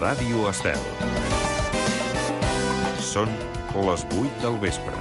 Ràdio Estel. Són les 8 del vespre.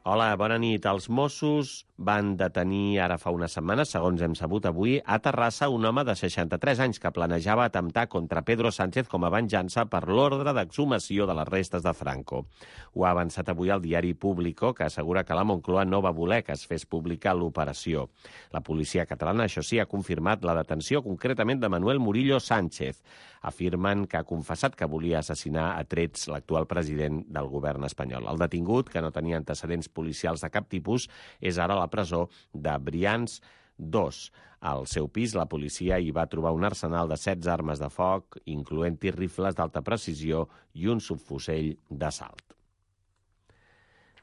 Hola, bona nit. Els Mossos van detenir ara fa una setmana, segons hem sabut avui, a Terrassa un home de 63 anys que planejava atemptar contra Pedro Sánchez com a venjança per l'ordre d'exhumació de les restes de Franco. Ho ha avançat avui el diari Público, que assegura que la Moncloa no va voler que es fes pública l'operació. La policia catalana, això sí, ha confirmat la detenció concretament de Manuel Murillo Sánchez. Afirmen que ha confessat que volia assassinar a trets l'actual president del govern espanyol. El detingut, que no tenia antecedents policials de cap tipus, és ara a la presó de Brians 2. Al seu pis, la policia hi va trobar un arsenal de 16 armes de foc, incloent-hi rifles d'alta precisió i un subfusell d'assalt.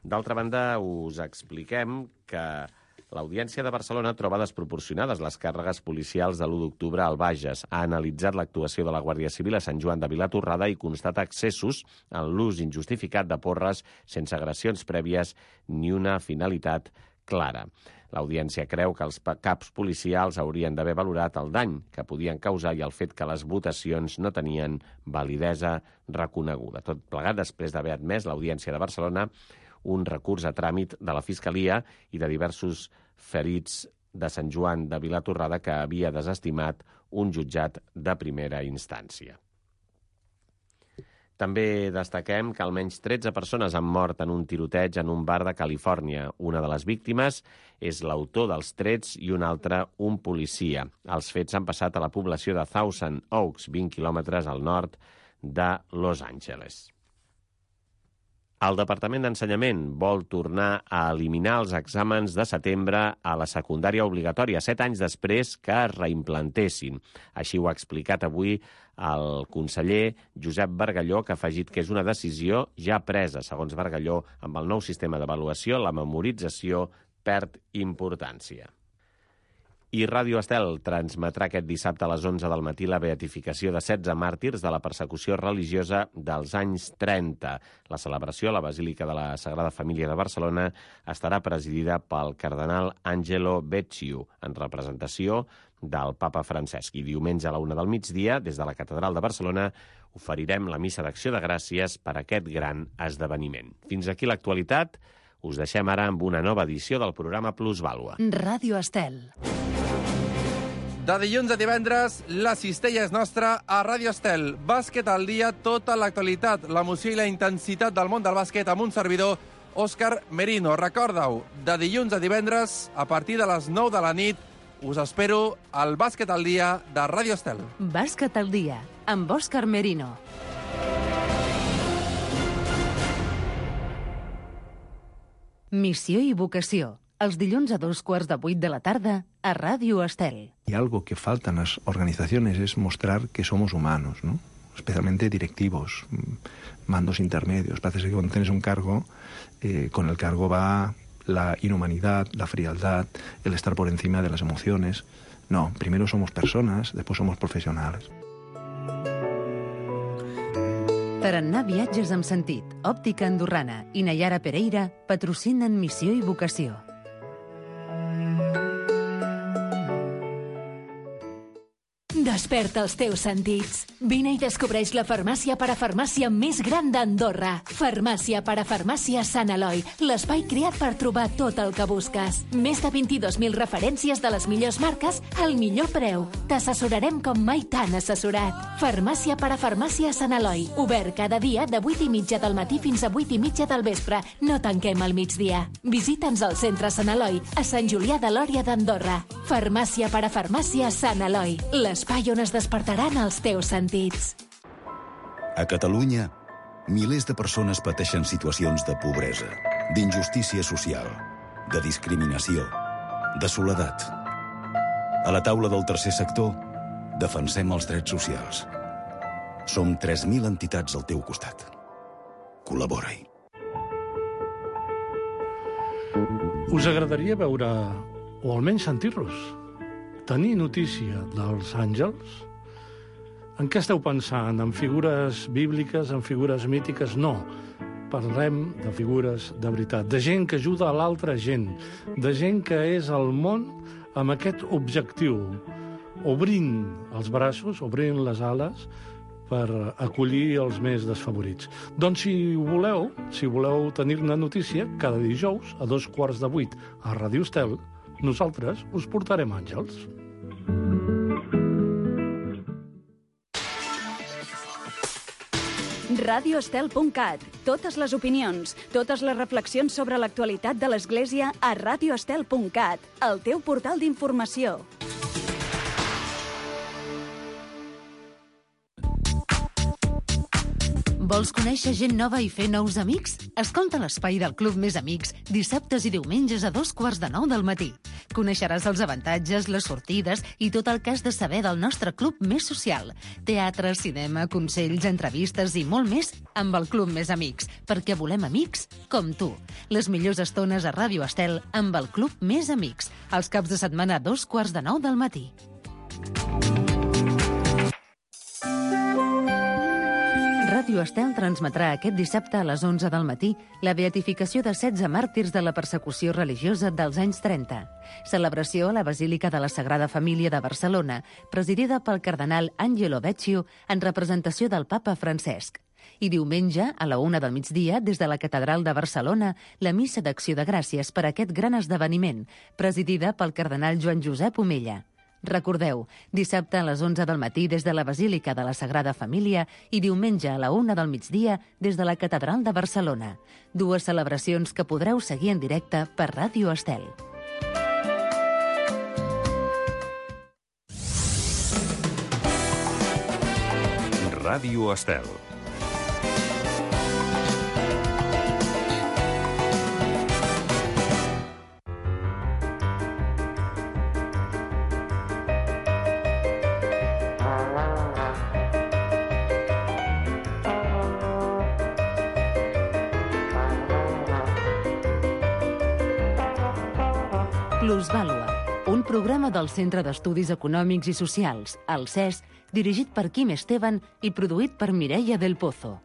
D'altra banda, us expliquem que l'Audiència de Barcelona troba desproporcionades les càrregues policials de l'1 d'octubre al Bages. Ha analitzat l'actuació de la Guàrdia Civil a Sant Joan de Vilatorrada i constata excessos en l'ús injustificat de porres sense agressions prèvies ni una finalitat clara. L'Audiència creu que els caps policials haurien d'haver valorat el dany que podien causar i el fet que les votacions no tenien validesa reconeguda. Tot plegat després d'haver admès l'Audiència de Barcelona un recurs a tràmit de la Fiscalia i de diversos ferits de Sant Joan de Vilatorrada que havia desestimat un jutjat de primera instància. També destaquem que almenys 13 persones han mort en un tiroteig en un bar de Califòrnia. Una de les víctimes és l'autor dels trets i una altra un policia. Els fets han passat a la població de Thousand Oaks, 20 quilòmetres al nord de Los Angeles. El Departament d'Ensenyament vol tornar a eliminar els exàmens de setembre a la secundària obligatòria, 7 anys després que es reimplantessin. Així ho ha explicat avui el conseller Josep Bargalló, que ha afegit que és una decisió ja presa. Segons Bargalló, amb el nou sistema d'avaluació, la memorització perd importància. I Ràdio Estel transmetrà aquest dissabte a les 11 del matí la beatificació de 16 màrtirs de la persecució religiosa dels anys 30. La celebració a la Basílica de la Sagrada Família de Barcelona estarà presidida pel cardenal Angelo Becciu, en representació del papa Francesc. I diumenge a la 1 del migdia, des de la Catedral de Barcelona, oferirem la missa d'acció de gràcies per aquest gran esdeveniment. Fins aquí l'actualitat. Us deixem ara amb una nova edició del programa Plusvàlua. Ràdio Estel. De dilluns a divendres, la cistella és nostra a Ràdio Estel. Bàsquet al dia, tota l'actualitat, l'emoció i la intensitat del món del bàsquet amb un servidor, Òscar Merino. Recorda-ho, de dilluns a divendres, a partir de les 9 de la nit, us espero al Bàsquet al dia de Ràdio Estel. Bàsquet al dia, amb Òscar Merino. Missió i vocació. Els dilluns a 7:15 de la tarda a Ràdio Estel. Y algo que falta en las organizaciones es mostrar que somos humanos, ¿no? Especialmente directivos, mandos intermedios. Parece que cuando tienes un cargo, con el cargo va la inhumanidad, la frialdad, el estar por encima de las emociones. No, primero somos personas, después somos profesionales. Tarannà Viatges amb sentit, Òptica Andorrana i Nayara Pereira patrocinen Missió i vocació. Desperta els teus sentits. Vine i descobreix la farmàcia parafarmàcia més gran d'Andorra. Farmàcia parafarmàcia Sant Eloi, l'espai creat per trobar tot el que busques. Més de 22.000 referències de les millors marques al millor preu. T'assessorarem com mai t'han assessorat. Farmàcia parafarmàcia Sant Eloi, obert cada dia de 8:30 del matí fins a 8:30 del vespre. No tanquem al migdia. Visita'ns al centre Sant Eloi, a Sant Julià de Lòria d'Andorra. Farmàcia parafarmàcia Sant Eloi, l'espai on es despertaran els teus sentits. A Catalunya, milers de persones pateixen situacions de pobresa, d'injustícia social, de discriminació, de soledat. A la taula del tercer sector, defensem els drets socials. Som 3.000 entitats al teu costat. Col·labora-hi. Us agradaria veure, o almenys sentir-los, tenir notícia dels àngels? En què esteu pensant? En figures bíbliques, en figures mítiques? No. Parlem de figures de veritat, de gent que ajuda a l'altra gent, de gent que és al món amb aquest objectiu, obrint els braços, obrint les ales, per acollir els més desfavorits. Doncs si voleu tenir-ne notícia, cada dijous a 7:15 a Ràdio Estel, nosaltres us portarem àngels. radioestel.cat. Totes les opinions, totes les reflexions sobre l'actualitat de l'Església a radioestel.cat, el teu portal d'informació. Vols conèixer gent nova i fer nous amics? Escolta l'Espai del Club Més Amics dissabtes i diumenges a 8:45 del matí. Coneixeràs els avantatges, les sortides i tot el que has de saber del nostre club més social. Teatre, cinema, consells, entrevistes i molt més amb el Club Més Amics, perquè volem amics com tu. Les millors estones a Ràdio Estel amb el Club Més Amics, els caps de setmana a 8:45 del matí. Ràdio Estel transmetrà aquest dissabte a les 11 del matí la beatificació de 16 màrtirs de la persecució religiosa dels anys 30. Celebració a la Basílica de la Sagrada Família de Barcelona, presidida pel cardenal Angelo Becciu en representació del papa Francesc. I diumenge, a la 1 del migdia, des de la Catedral de Barcelona, la missa d'acció de gràcies per a aquest gran esdeveniment, presidida pel cardenal Joan Josep Omella. Recordeu, dissabte a les 11 del matí des de la Basílica de la Sagrada Família i diumenge a la 1 del migdia des de la Catedral de Barcelona. Dues celebracions que podreu seguir en directe per Ràdio Estel. Ràdio Estel. Plusvàlua, un programa del Centre d'Estudis Econòmics i Socials, el CES, dirigit per Quim Esteban i produït per Mireia del Pozo.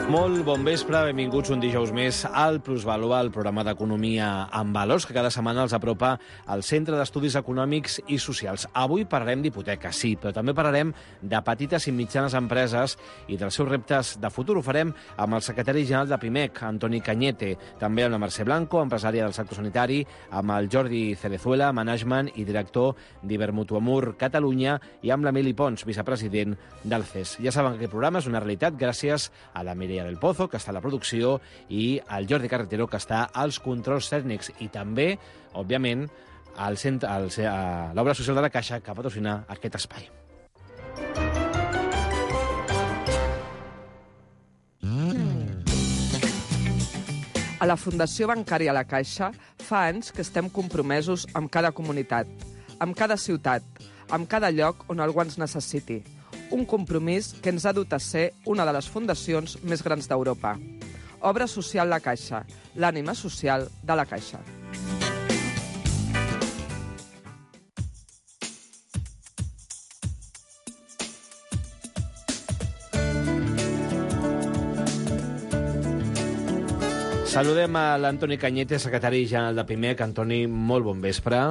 Molt bon vespre, benvinguts un dijous més al Plusvàlua, el programa d'economia amb valors que cada setmana els apropa al Centre d'Estudis Econòmics i Socials. Avui parlarem d'hipoteques, sí, però també parlarem de petites i mitjanes empreses i dels seus reptes de futur. Ho farem amb el secretari general de PIMEC, Antoni Cañete, també amb la Mercè Blanco, empresària del sector sanitari, amb el Jordi Cerezuela, management i director d'Ibermutuamur Catalunya, i amb l'Emili Pons, vicepresident del CES. Ja saben que aquest programa és una realitat gràcies a la Mireia del Pozo, que està a la producció, i al Jordi Carretero, que està als controls tècnics, i també, òbviament, a l'obra social de la Caixa, que patrocina aquest espai. A la Fundació Bancària La Caixa fa anys que estem compromesos amb cada comunitat, amb cada ciutat, amb cada lloc on algú ens necessiti. Un compromís que ens ha dut a ser una de les fundacions més grans d'Europa. Obra social La Caixa, l'ànima social de la Caixa. Saludem a l'Antoni Cañete, secretari general de PIMEC. Antoni, molt bon vespre.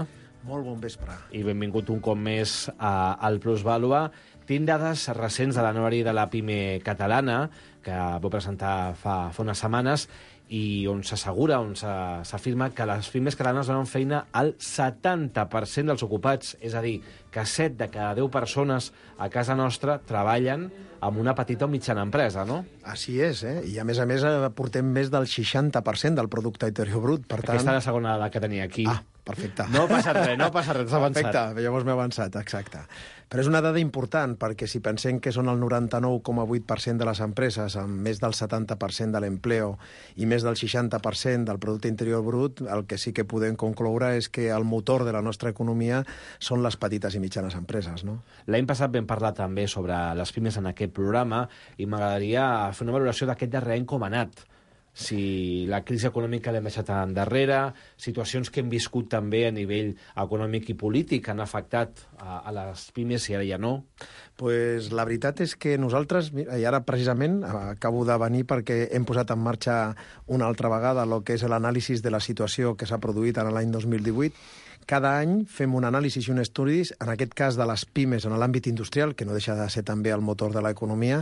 Molt bon vespre. I benvingut un cop més al Plusvàlua. Tinc dades recents de l'anuari de la PIME catalana, que vau presentar fa unes setmanes, i on s'assegura, on s'afirma que les pimes catalanes donen feina al 70% dels ocupats. És a dir, que 7 de cada 10 persones a casa nostra treballen amb una petita o mitjana empresa, no? Així és, I a més portem més del 60% del producte interior brut. Per tant... Aquesta és la segona dada que tenia aquí. Ah, perfecte. No passa res, t'ha avançat. Perfecte, llavors m'he avançat, exacte. Però és una dada important, perquè si pensem que són el 99,8% de les empreses amb més del 70% de l'empleo i més del 60% del producte interior brut, el que sí que podem concloure és que el motor de la nostra economia són les petites i mitjanes empreses, no? L'any passat vam parlar també sobre les pimes en aquest programa i m'agradaria fer una valoració d'aquest darrer any com ha anat. si la crisi econòmica l'hem deixat endarrere, situacions que hem viscut també a nivell econòmic i polític han afectat a les pimes i ara ja no. Pues la veritat és que nosaltres, i ara precisament acabo de venir perquè hem posat en marxa una altra vegada el que és l'anàlisi de la situació que s'ha produït en l'any 2018. Cada any fem un anàlisi i un estudis, en aquest cas de les pimes en l'àmbit industrial, que no deixa de ser també el motor de l'economia,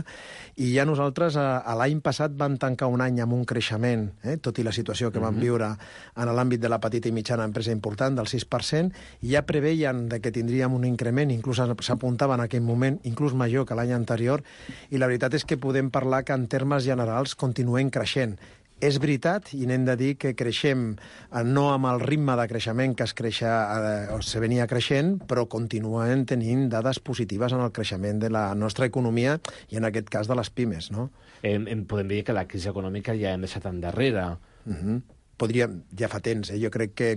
i ja nosaltres l'any passat vam tancar un any amb un creixement, tot i la situació que vam viure en l'àmbit de la petita i mitjana empresa important, del 6%, i ja preveien que tindríem un increment, inclús s'apuntava en aquell moment, inclús major que l'any anterior, i la veritat és que podem parlar que en termes generals continuem creixent. És veritat, i n'hem de dir que creixem no amb el ritme de creixement que se venia creixent, però continuem tenint dades positives en el creixement de la nostra economia i en aquest cas de les pimes, no? Podem dir que la crisi econòmica ja hem deixat endarrere. Ja fa temps, jo crec que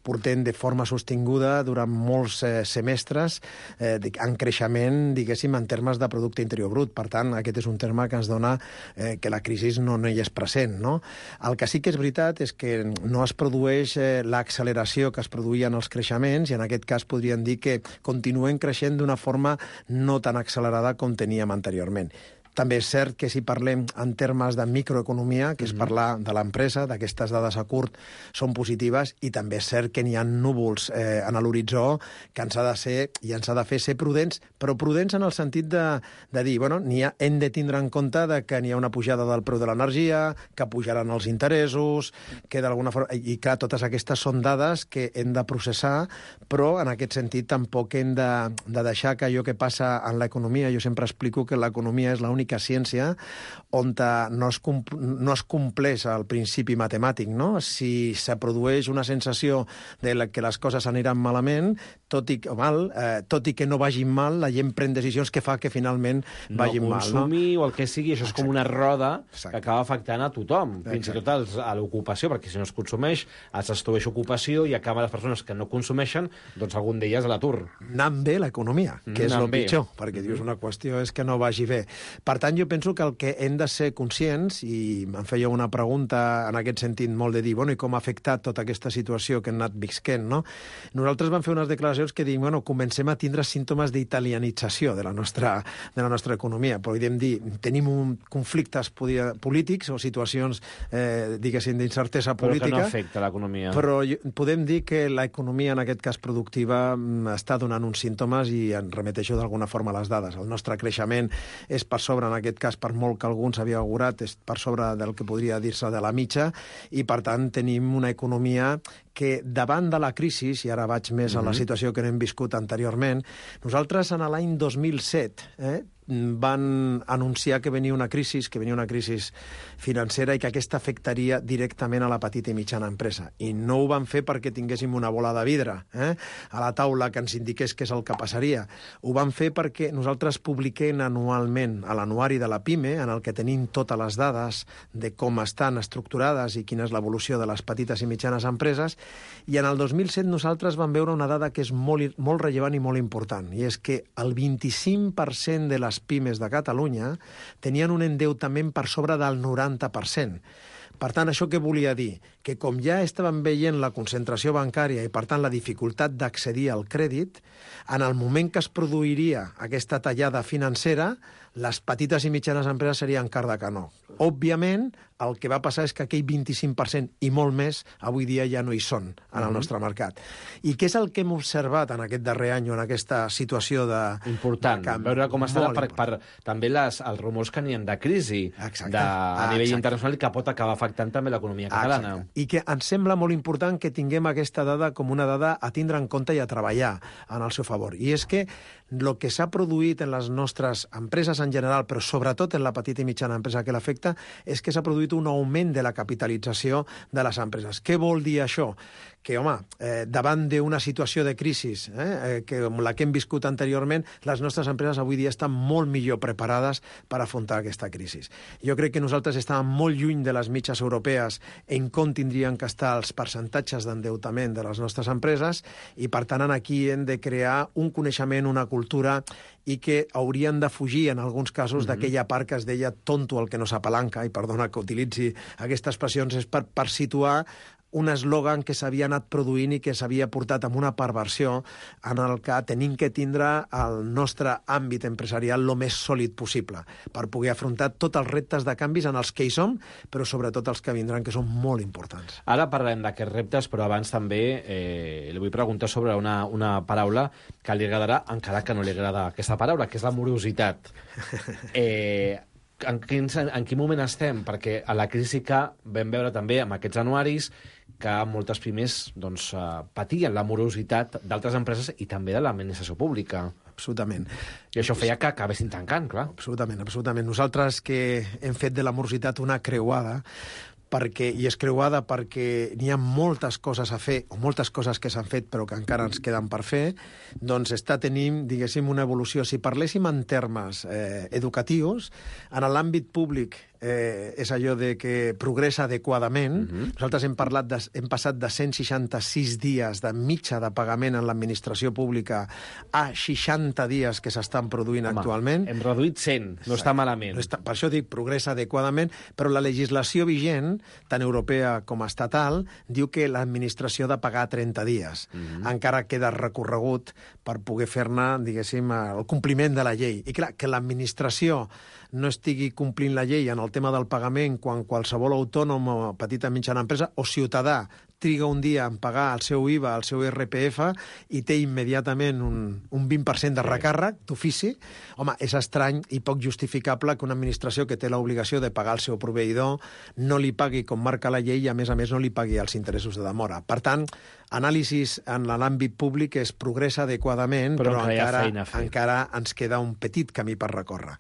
portem de forma sostinguda durant molts semestres en creixement, diguéssim, en termes de producte interior brut. Per tant, aquest és un terme que ens dona que la crisi no hi és present, no? El que sí que és veritat és que no es produeix l'acceleració que es produïa en els creixements, i en aquest cas podríem dir que continuem creixent d'una forma no tan accelerada com teníem anteriorment. També és cert que si parlem en termes de microeconomia, que és parlar de l'empresa, d'aquestes dades a curt, són positives, i també és cert que n'hi ha núvols en l'horitzó que ens ha de ser, i ens ha de fer ser prudents, però prudents en el sentit de dir, bueno, hem de tindre en compte que n'hi ha una pujada del preu de l'energia, que pujaran els interessos, que d'alguna forma... I clar, totes aquestes són dades que hem de processar, però en aquest sentit tampoc hem de deixar que allò que passa en l'economia, jo sempre explico que l'economia és l'única ciència on no es compleix el principi matemàtic, no? Si se produeix una sensació de que les coses aniran malament, tot i que no vagin mal, la gent pren decisions que fa que finalment vagin mal. No consumir o el que sigui, això és com una roda que acaba afectant a tothom, fins i tot a l'ocupació, perquè si no es consumeix, es destrueix ocupació i acaba les persones que no consumeixen, doncs algun d'elles a l'atur. Anant bé l'economia, que és el pitjor, perquè dius una qüestió és que no vagi bé. Per tant, jo penso que el que hem de ser conscients, i em feia una pregunta en aquest sentit molt de dir, bueno, i com ha afectat tota aquesta situació que hem anat visquent, no? Nosaltres vam fer unes declaracions que diuen, bueno, comencem a tindre símptomes d'italianització de la nostra economia. Podríem dir, tenim conflictes polítics o situacions, diguéssim, d'incertesa política. Però que no afecta l'economia. Però podem dir que l'economia, en aquest cas productiva, està donant uns símptomes, i em remeteixo d'alguna forma a les dades. El nostre creixement és per sobre, en aquest cas, per molt que algú s'havia augurat, és per sobre del que podria dir-se de la mitja, i per tant tenim una economia que davant de la crisi, i ara vaig més a la situació que hem viscut anteriorment, nosaltres en l'any 2007 van anunciar que venia una crisi financera i que aquesta afectaria directament a la petita i mitjana empresa. I no ho van fer perquè tinguéssim una bola de vidre a la taula que ens indiqués què és el que passaria. Ho van fer perquè nosaltres publiquem anualment a l'anuari de la PIME, en el que tenim totes les dades de com estan estructurades i quina és l'evolució de les petites i mitjanes empreses, i en el 2007 nosaltres vam veure una dada que és molt rellevant i molt important, i és que el 25% de les pimes de Catalunya tenien un endeutament per sobre del 90%. Per tant, això què volia dir? Que com ja estàvem veient la concentració bancària i, per tant, la dificultat d'accedir al crèdit, en el moment que es produiria aquesta tallada financera, les petites i mitjanes empreses serien car de canó. Òbviament, el que va passar és que aquell 25% i molt més avui dia ja no hi són en el nostre mercat. I què és el que hem observat en aquest darrer any o en aquesta situació de... Important, veure com està per també els rumors que n'hi ha de crisi a nivell internacional i que pot acabar afectant també l'economia catalana. I que ens sembla molt important que tinguem aquesta dada com una dada a tindre en compte i a treballar en el seu favor. I és que el que s'ha produït en les nostres empreses en general, però sobretot en la petita i mitjana empresa que l'afecta, és que s'ha produït un augment de la capitalització de les empreses. Què vol dir això? Que, home, davant d'una situació de crisi com la que hem viscut anteriorment, les nostres empreses avui dia estan molt millor preparades per afrontar aquesta crisi. Jo crec que nosaltres estàvem molt lluny de les mitjanes mitjans europees en com tindrien que estar els percentatges d'endeutament de les nostres empreses i, per tant, aquí hem de crear un coneixement, una cultura i que haurien de fugir, en alguns casos, d'aquella part que es deia tonto el que no s'apalanca, i perdona que utilitzi aquestes expressions, és per situar un eslògan que s'havia anat produint i que s'havia portat amb una perversió en el que tenim que tindre el nostre àmbit empresarial el més sòlid possible per poder afrontar tots els reptes de canvis en els que hi som, però sobretot els que vindran, que són molt importants. Ara parlem d'aquests reptes, però abans també li vull preguntar sobre una paraula que li agradarà, encara que no li agrada aquesta paraula, que és la morositat. En quin moment estem? Perquè a la crisi que vam veure també amb aquests anuaris que moltes pimes patien la morositat d'altres empreses i també de l'administració pública. Absolutament. I això feia que acabessin tancant, clar. Absolutament. Nosaltres que hem fet de la morositat una creuada, i és creuada perquè n'hi ha moltes coses a fer, o moltes coses que s'han fet però que encara ens queden per fer, doncs està tenint, diguéssim, una evolució. Si parléssim en termes educatius, en l'àmbit públic és allò de que progressa adequadament. Nosaltres hem passat de 166 dies de mitja de pagament en l'administració pública a 60 dies que s'estan produint actualment. Hem reduït 100, no està malament. Per això dic, progressa adequadament, però la legislació vigent, tant europea com estatal, diu que l'administració ha de pagar 30 dies. Encara queda recorregut per poder fer-ne, diguéssim, el compliment de la llei. I clar, que l'administració no estigui complint la llei en el tema del pagament quan qualsevol autònom o petita i mitjana empresa o ciutadà triga un dia en pagar el seu IVA, el seu IRPF, i té immediatament un 20% de recàrrec d'ofici, home, és estrany i poc justificable que una administració que té l'obligació de pagar el seu proveïdor no li pagui com marca la llei i, a més, no li pagui els interessos de demora. Per tant, anàlisis en l'àmbit públic es progressa adequadament, però encara ens queda un petit camí per recórrer.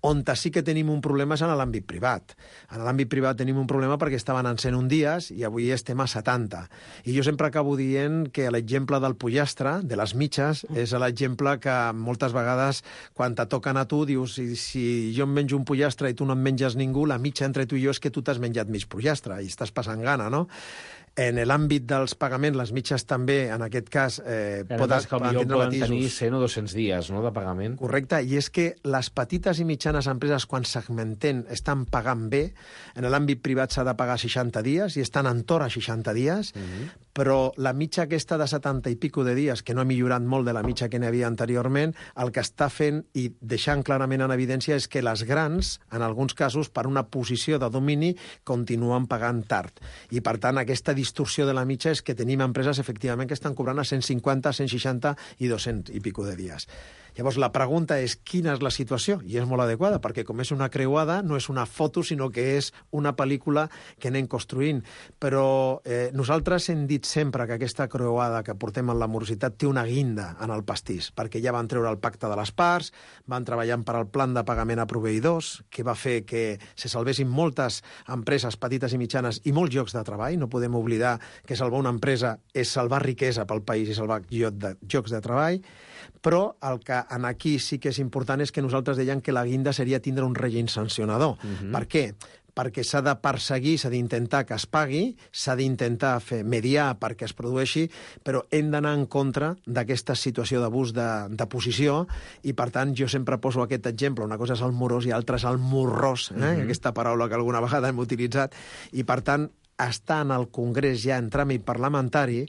On sí que tenim un problema és en l'àmbit privat. En l'àmbit privat tenim un problema perquè estaven en 101 dies i avui estem a 70. I jo sempre acabo dient que l'exemple del pollastre, de les mitges, és l'exemple que moltes vegades, quan te toquen a tu, dius, si jo em menjo un pollastre i tu no en menges ningú, la mitja entre tu i jo és que tu t'has menjat mig pollastre i estàs passant gana, no? En l'àmbit dels pagaments, les mitges també, en aquest cas, poden tenir 100 o 200 dies, no?, de pagament. Correcte, i és que les petites i mitjanes empreses, quan segmenten, estan pagant bé. En l'àmbit privat s'ha de pagar 60 dies i estan entorn a 60 dies, però la mitja aquesta de 70 i pico de dies, que no ha millorat molt de la mitja que n'hi havia anteriorment, el que està fent i deixant clarament en evidència és que les grans, en alguns casos, per una posició de domini, continuen pagant tard. I, per tant, aquesta distorsió de la mitja és que tenim empreses, efectivament, que estan cobrant a 150, 160 i 200 i pico de dies. Llavors, la pregunta és quina és la situació? I és molt adequada, perquè com és una creuada, no és una foto, sinó que és una pel·lícula que anem construint. Però nosaltres hem dit sempre que aquesta creuada que portem en la morositat té una guinda en el pastís, perquè ja van treure el pacte de les parts, van treballant per al plan de pagament a proveïdors, que va fer que se salvessin moltes empreses petites i mitjanes i molts llocs de treball. No podem oblidar que salvar una empresa és salvar riquesa pel país i salvar llocs de treball. Però el que aquí sí que és important és que nosaltres dèiem que la guinda seria tindre un règim sancionador. Per què? Perquè s'ha de perseguir, s'ha d'intentar que es pagui, s'ha d'intentar mediar perquè es produeixi, però hem d'anar en contra d'aquesta situació d'abús de posició i, per tant, jo sempre poso aquest exemple. Una cosa és el morós i l'altra és el morrós, aquesta paraula que alguna vegada hem utilitzat, i, per tant, està en el Congrés ja en tràmit parlamentari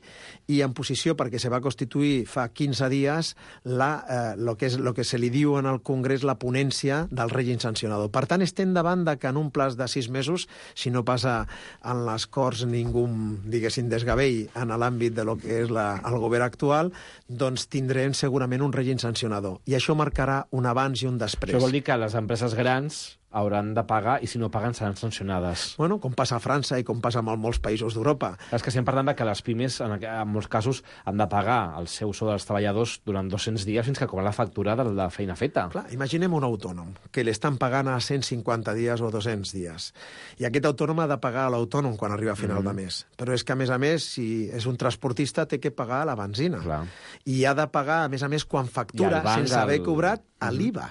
i en posició, perquè se va constituir fa 15 dies lo que se li diu en el Congrés la ponència del règim sancionador. Per tant, estem davant que en un plaç de 6 mesos, si no passa en les Corts ningú, diguéssim, desgavell en l'àmbit de lo que és el govern actual, doncs tindrem segurament un règim sancionador. I això marcarà un abans i un després. Això vol dir que les empreses grans hauran de pagar i si no paguen seran sancionades. Bueno, com passa a França i com passa en molts països d'Europa. És que estem parlant que les pimes, en molts casos, han de pagar el seu sou dels treballadors durant 200 dies fins que cobren la factura de la feina feta. Clar, imaginem un autònom que l'estan pagant a 150 dies o 200 dies. I aquest autònom ha de pagar a l'autònom quan arriba a final de mes. Però és que, a més, si és un transportista, té que pagar la benzina. Clar. I ha de pagar, a més, quan factura, sense haver cobrat, a l'IVA.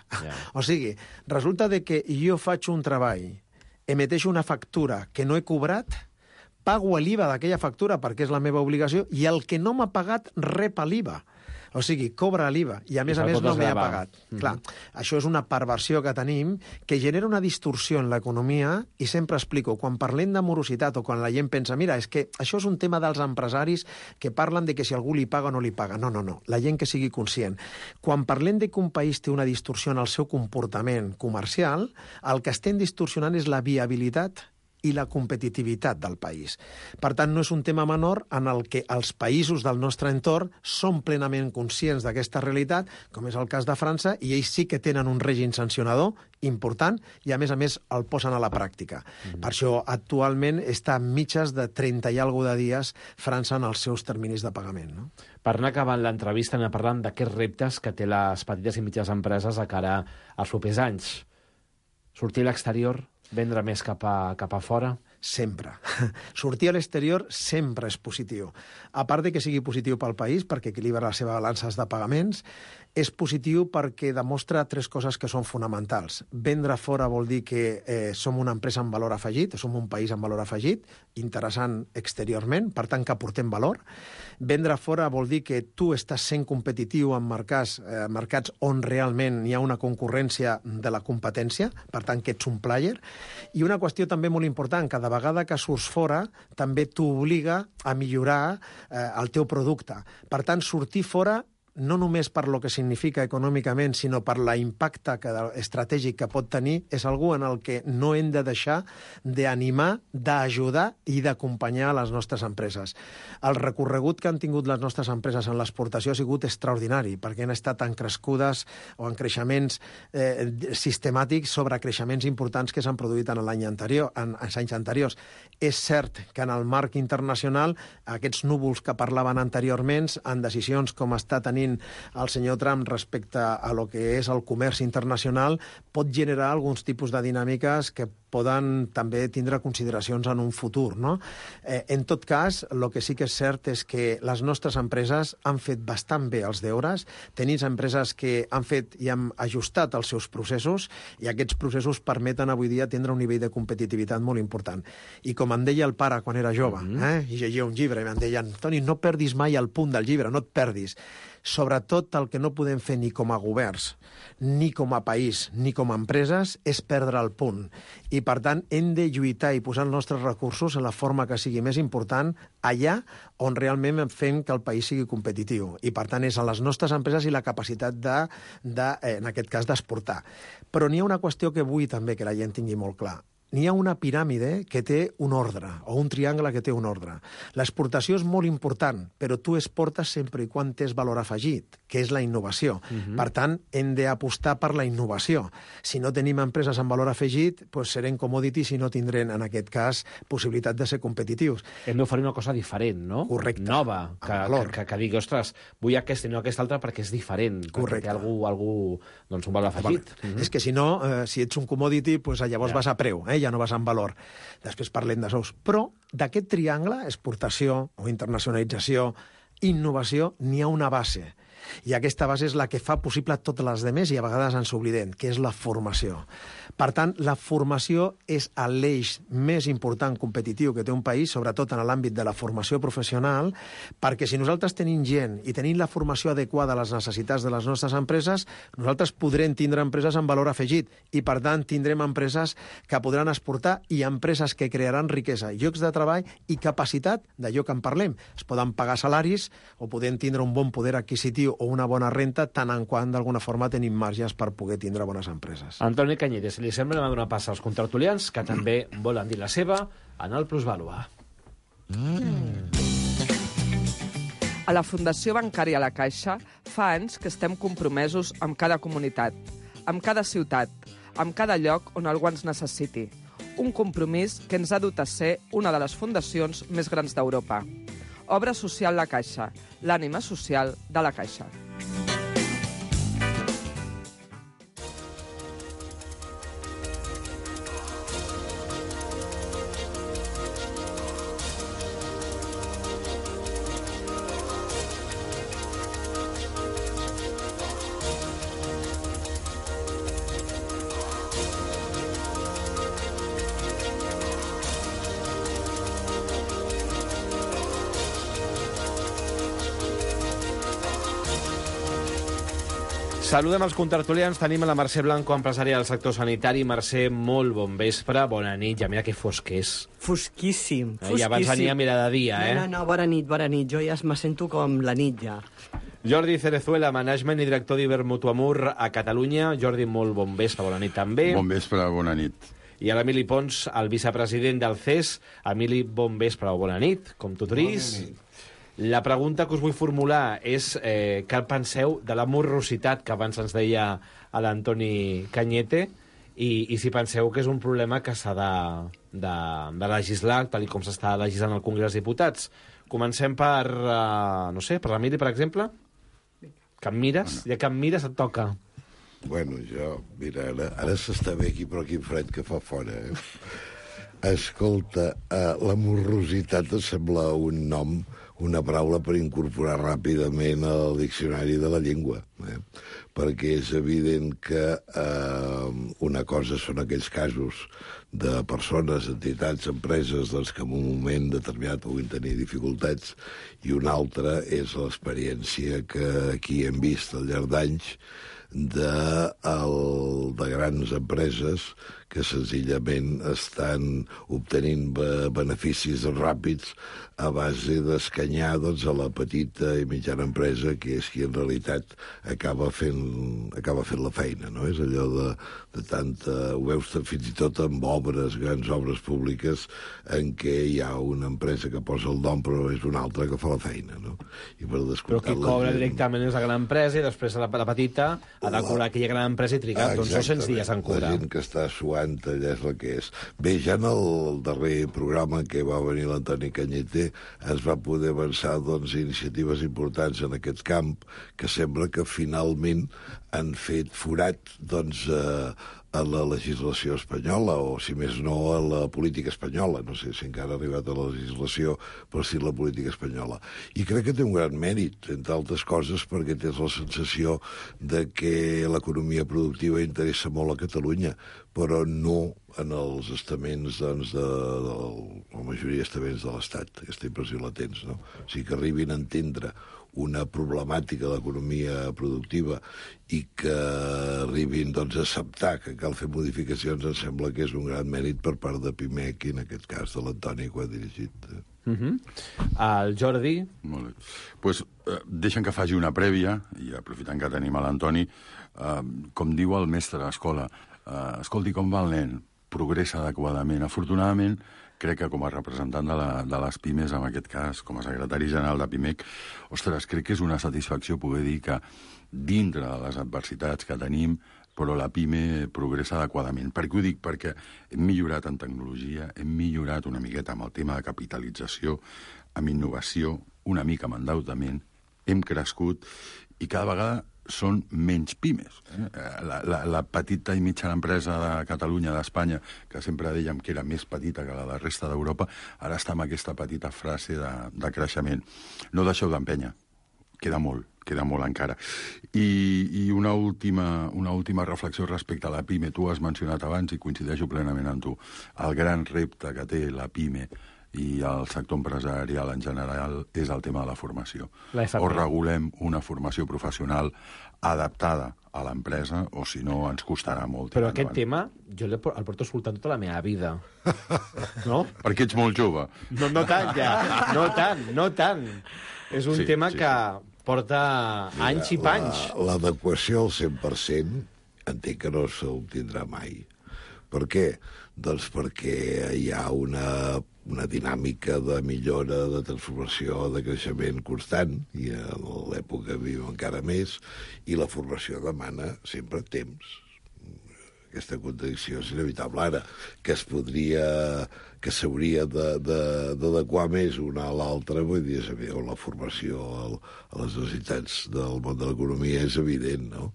O sigui, resulta que jo faig un treball emeteixo una factura que no he cobrat, pago l'IVA d'aquella factura perquè és la meva obligació i el que no m'ha pagat rep l'IVA. O sigui, cobra l'IVA i, a més, no m'he pagat. Clar, això és una perversió que tenim que genera una distorsió en l'economia i sempre explico, quan parlem de morositat o quan la gent pensa, mira, és que això és un tema dels empresaris que parlen de que si algú li paga o no li paga. No, la gent que sigui conscient. Quan parlem de que un país té una distorsió en el seu comportament comercial, el que estem distorsionant és la viabilitat i la competitivitat del país. Per tant, no és un tema menor en el que els països del nostre entorn són plenament conscients d'aquesta realitat, com és el cas de França, i ells sí que tenen un règim sancionador important i, a més, el posen a la pràctica. Per això, actualment, està en mitges de 30 i alguna de dies França en els seus terminis de pagament. No? Per anar acabant l'entrevista, anem parlant d'aquests reptes que té les petites i mitjanes empreses de cara als propers anys. Sortir a l'exterior, vendre més cap a fora? Sempre. Sortir a l'exterior sempre és positiu. A part de que sigui positiu pel país, perquè equilibra les seves balances de pagaments, és positiu perquè demostra tres coses que són fonamentals. Vendre fora vol dir que som una empresa amb valor afegit, som un país amb valor afegit, interessant exteriorment, per tant que aportem valor. Vendre fora vol dir que tu estàs sent competitiu en mercats on realment hi ha una concurrència de la competència, per tant que ets un player. I una qüestió també molt important, cada vegada que surts fora també t'obliga a millorar el teu producte. Per tant, sortir fora no només per lo que significa econòmicament, sinó per l'impacte estratègic que pot tenir, és algú en el que no hem de deixar d'animar, d'ajudar i d'acompanyar les nostres empreses. El recorregut que han tingut les nostres empreses en l'exportació ha sigut extraordinari, perquè han estat en crescudes o en creixements sistemàtics sobre creixements importants que s'han produït en l'any anterior, en anys anteriors. És cert que en el marc internacional aquests núvols que parlaven anteriorment, en decisions com està tenint el senyor Trump respecte a lo que és el comerç internacional, pot generar alguns tipus de dinàmiques que poden també tindre consideracions en un futur. No? En tot cas, el que sí que és cert és que les nostres empreses han fet bastant bé els deures, tenim empreses que han fet i han ajustat els seus processos i aquests processos permeten avui dia tindre un nivell de competitivitat molt important. I com em deia el pare quan era jove, i llegia un llibre, i em deien, Toni, no perdis mai el punt del llibre, no et perdis. Sobretot el que no podem fer ni com a governs, ni com a país, ni com a empreses, és perdre el punt. I, per tant, hem de lluitar i posar els nostres recursos en la forma que sigui més important allà on realment fem que el país sigui competitiu. I, per tant, és a les nostres empreses i la capacitat en aquest cas, d'exportar. Però n'hi ha una qüestió que vull també que la gent tingui molt clar. N'hi ha una piràmide que té un ordre, o un triangle que té un ordre. L'exportació és molt important, però tu exportes sempre i quan tens valor afegit, que és la innovació. Per tant, hem d'apostar per la innovació. Si no tenim empreses amb valor afegit, doncs serem commodities i no tindrem, en aquest cas, possibilitat de ser competitius. Hem d'oferir una cosa diferent, no? Correcte. Nova, que digui, ostres, vull aquesta i no aquesta altra perquè és diferent. Correcte. Perquè té algú doncs, un valor afegit. És que si no, si ets un commodity, doncs llavors vas a preu, ja no vas en valor. Després parlem de sous. Però d'aquest triangle, exportació o internacionalització, innovació, n'hi ha una base. I aquesta base és la que fa possible totes les demés i a vegades ens oblidem, que és la formació. Per tant, la formació és l'eix més important competitiu que té un país, sobretot en l'àmbit de la formació professional, perquè si nosaltres tenim gent i tenim la formació adequada a les necessitats de les nostres empreses, nosaltres podrem tindre empreses amb valor afegit i, per tant, tindrem empreses que podran exportar i empreses que crearan riquesa, llocs de treball i capacitat d'allò que en parlem. Es poden pagar salaris o podem tindre un bon poder adquisitiu o una bona renta, tant en quant d'alguna forma tenim marges per poder tindre bones empreses. Antoni Cañete, si li sembla, anem a donar pas als contrartulians, que també volen dir la seva en el Plusvalua. A la Fundació Bancària La Caixa fa anys que estem compromesos amb cada comunitat, amb cada ciutat, amb cada lloc on algú ens necessiti. Un compromís que ens ha dut a ser una de les fundacions més grans d'Europa. Obra social La Caixa, l'ànima social de La Caixa. Saludem els contertulians. Tenim a la Mercè Blanco, empresària del sector sanitari. Mercè, molt bon vespre, bona nit. Ja mira que fosc és. Fosquíssim, fosquíssim. I abans venia a mirar de dia, No, bona nit. Jo ja me sento com la nit, ja. Jordi Cerezuela, management i director d'Ibermutuamur a Catalunya. Jordi, molt bon vespre, bona nit també. Bon vespre, bona nit. I a l'Emili Pons, el vicepresident del CES. Emili, bon vespre o bona nit, com tu tris. Bona nit. La pregunta que us vull formular és què penseu de la morrositat que abans ens deia l'Antoni Cañete i si penseu que és un problema que s'ha de legislar, tal com s'està legislant al Congrés dels Diputats. Comencem per, no sé, per l'Emili, per exemple. Que em mires? Ja que em mires et toca. Bueno, mira, ara s'està bé aquí, però quin fred que fa fora, Escolta, la morrositat em sembla un nom, una paraula per incorporar ràpidament al diccionari de la llengua, perquè és evident que una cosa són aquells casos de persones, entitats, empreses que en un moment determinat puguin tenir dificultats, i una altra és l'experiència que aquí hem vist al llarg d'anys de grans empreses que senzillament estan obtenint beneficis ràpids a base d'escanyar a la petita i mitjana empresa, que és qui en realitat acaba fent la feina, no? És allò de tanta... Ho veus fins i tot amb grans obres públiques, en què hi ha una empresa que posa el nom però és una altra que fa la feina, no? I per descomptat, però qui cobra directament és la gran empresa i després la petita ha de cobrar aquella gran empresa i trigar 200 dies en cobrar. La gent que està suant allà és la que és. Bé, ja en el darrer programa que va venir l'Antoni Cañete es va poder avançar iniciatives importants en aquest camp que sembla que finalment han fet forat a la legislació espanyola, o si més no a la política espanyola. No sé si encara ha arribat a la legislació, però sí a la política espanyola. I crec que té un gran mèrit, entre altres coses, perquè tens la sensació de que l'economia productiva interessa molt a Catalunya, però no en els estaments, la majoria d'estaments de l'Estat. Aquesta impressió la tens, no? O sigui, que arribin a entendre una problemàtica de l'economia productiva i que arribin a acceptar que cal fer modificacions, em sembla que és un gran mèrit per part de Pimec, i en aquest cas de l'Antoni, que ho ha dirigit. El Jordi? Molt bé. Pues, deixen que faci una prèvia, i aprofitant que tenim a l'Antoni, com diu el mestre a l'escola, escolti, com va el nen? Progressa adequadament. Afortunadament, crec que com a representant de les pimes, en aquest cas, com a secretari general de Pimec, ostres, crec que és una satisfacció poder dir que dintre de les adversitats que tenim, però la pime progressa adequadament. Per què ho dic? Perquè hem millorat en tecnologia, hem millorat una miqueta amb el tema de capitalització, amb innovació, una mica amb endeutament, hem crescut i cada vegada són menys pimes. La petita i mitjana empresa de Catalunya, d'Espanya, que sempre dèiem que era més petita que la de la resta d'Europa, ara està amb aquesta petita frase de creixement. No deixeu d'empènyer, queda molt encara. I una última reflexió respecte a la pime. Tu has mencionat abans, i coincideixo plenament amb tu, el gran repte que té la pime i el sector empresarial en general és el tema de la formació. O regulem una formació professional adaptada a l'empresa, o si no ens costarà molt. Però aquest tema jo el porto escoltant tota la meva vida. No? Perquè ets molt jove. No tant, ja. No tant. És un tema que porta anys i panys. L'adequació al 100% entenc que no s'obtindrà mai. Per què? Doncs perquè hi ha una dinàmica de millora, de transformació, de creixement constant, i a l'època viu encara més, i la formació demana sempre temps. Aquesta contradicció és inevitable. Ara, que s'hauria d'adequar més una a l'altra, vull dir, la formació a les necessitats del món de l'economia és evident, no?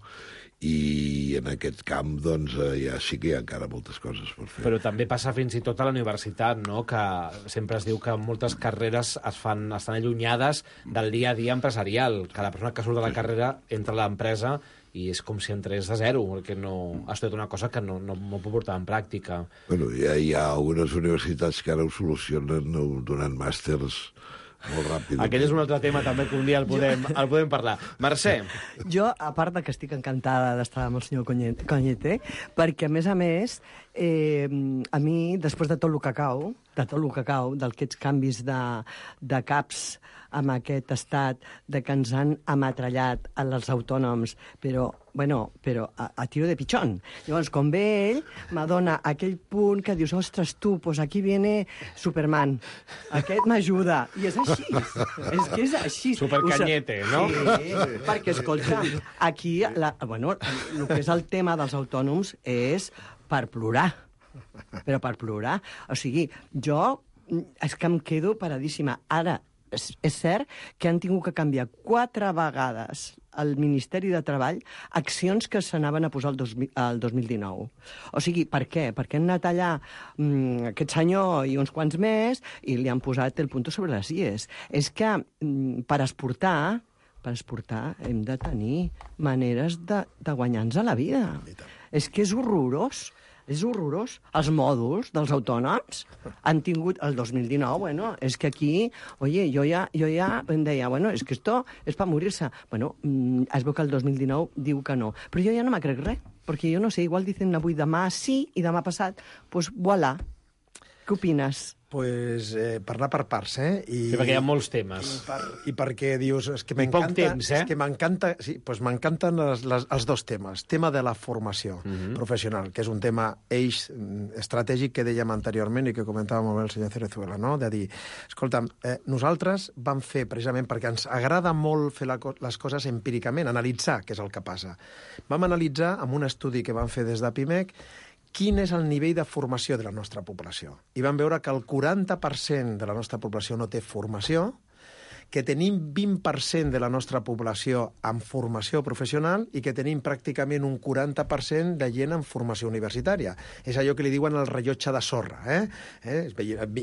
I en aquest camp, doncs, ja sí que hi ha encara moltes coses per fer. Però també passa fins i tot a la universitat, no?, que sempre es diu que moltes carreres estan allunyades del dia a dia empresarial, que la persona que surt de la carrera entra a l'empresa i és com si entrés de zero, perquè no ha estudiat una cosa que no pot portar en pràctica. Bueno, hi ha algunes universitats que ara ho solucionen donant màsters molt ràpidament. Aquest és un altre tema també que un dia el podem parlar. Mercè. Jo, a part de que estic encantada d'estar amb el senyor Cañete, perquè, a més, a mi, després de tot el cacau, d'aquests canvis de caps amb aquest estat de que ens han ametrallat els autònoms, però a tiro de pitxón. Llavors, quan ve ell, m'adona aquell punt que dius, ostres, tu, pues aquí viene Superman. Aquest m'ajuda. I és així. És que és així. Supercañete, no? Sí, perquè, escolta, aquí, el que és el tema dels autònoms és per plorar. Però per plorar. O sigui, jo és que em quedo paradíssima. Ara, és cert que han tingut que canviar 4 vegades al Ministeri de Treball accions que s'anaven a posar el 2019. O sigui, per què? Perquè han anat allà aquest senyor i uns quants més i li han posat el punto sobre les ies. És que per exportar hem de tenir maneres de guanyar-nos a la vida. És que és horrorós. És horrorós. Els mòduls dels autònoms han tingut el 2019, és que aquí, jo ja em deia, és que esto és per morir-se. Es veu que el 2019 diu que no. Però jo ja no me crec res, perquè jo no sé, igual dicen avui demà sí i demà passat, doncs voilà. Què opines? Pues parlar per parts, Sí, perquè hi ha molts temes. I perquè dius, és que m'encanta... poc temps, És que m'encanta... Sí, doncs m'encanten els dos temes. Tema de la formació professional, que és un tema eix estratègic que dèiem anteriorment i que comentava molt bé el senyor Cerezuela, no? De dir, escolta'm, nosaltres vam fer, precisament perquè ens agrada molt fer les coses empíricament, analitzar què és el que passa. Vam analitzar, amb un estudi que vam fer des de PIMEC, quin és el nivell de formació de la nostra població. I vam veure que el 40% de la nostra població no té formació, que tenim 20% de la nostra població amb formació professional i que tenim pràcticament un 40% de gent amb formació universitària. És allò que li diuen el rellotge de sorra.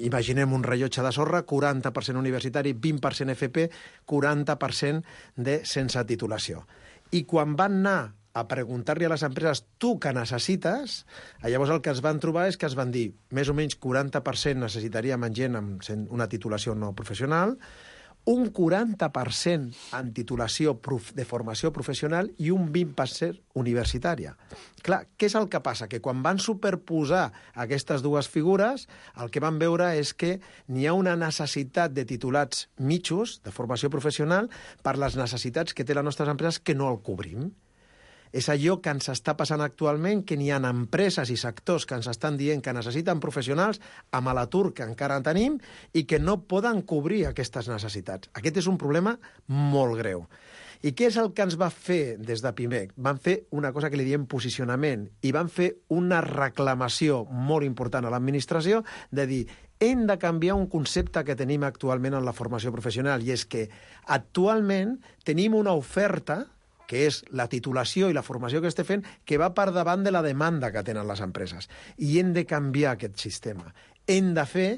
Imaginem un rellotge de sorra, 40% universitari, 20% FP, 40% de sense titulació. I quan van anar a preguntar-li a les empreses tu què necessites, llavors el que es van trobar és que es van dir més o menys 40% necessitaríem en gent amb una titulació no professional, un 40% en titulació de formació professional i un 20% universitària. Clar, què és el que passa? Que quan van superposar aquestes dues figures, el que van veure és que n'hi ha una necessitat de titulats mitjos, de formació professional, per les necessitats que té les nostres empreses que no el cobrim. És allò que ens està passant actualment, que n'hi ha empreses i sectors que ens estan dient que necessiten professionals amb l'atur que encara en tenim i que no poden cobrir aquestes necessitats. Aquest és un problema molt greu. I què és el que ens va fer des de PIMEC? Van fer una cosa que li diem posicionament i van fer una reclamació molt important a l'administració de dir hem de canviar un concepte que tenim actualment en la formació professional i és que actualment tenim una oferta que és la titulació i la formació que estem fent, que va per davant de la demanda que tenen les empreses. I hem de canviar aquest sistema. Hem de fer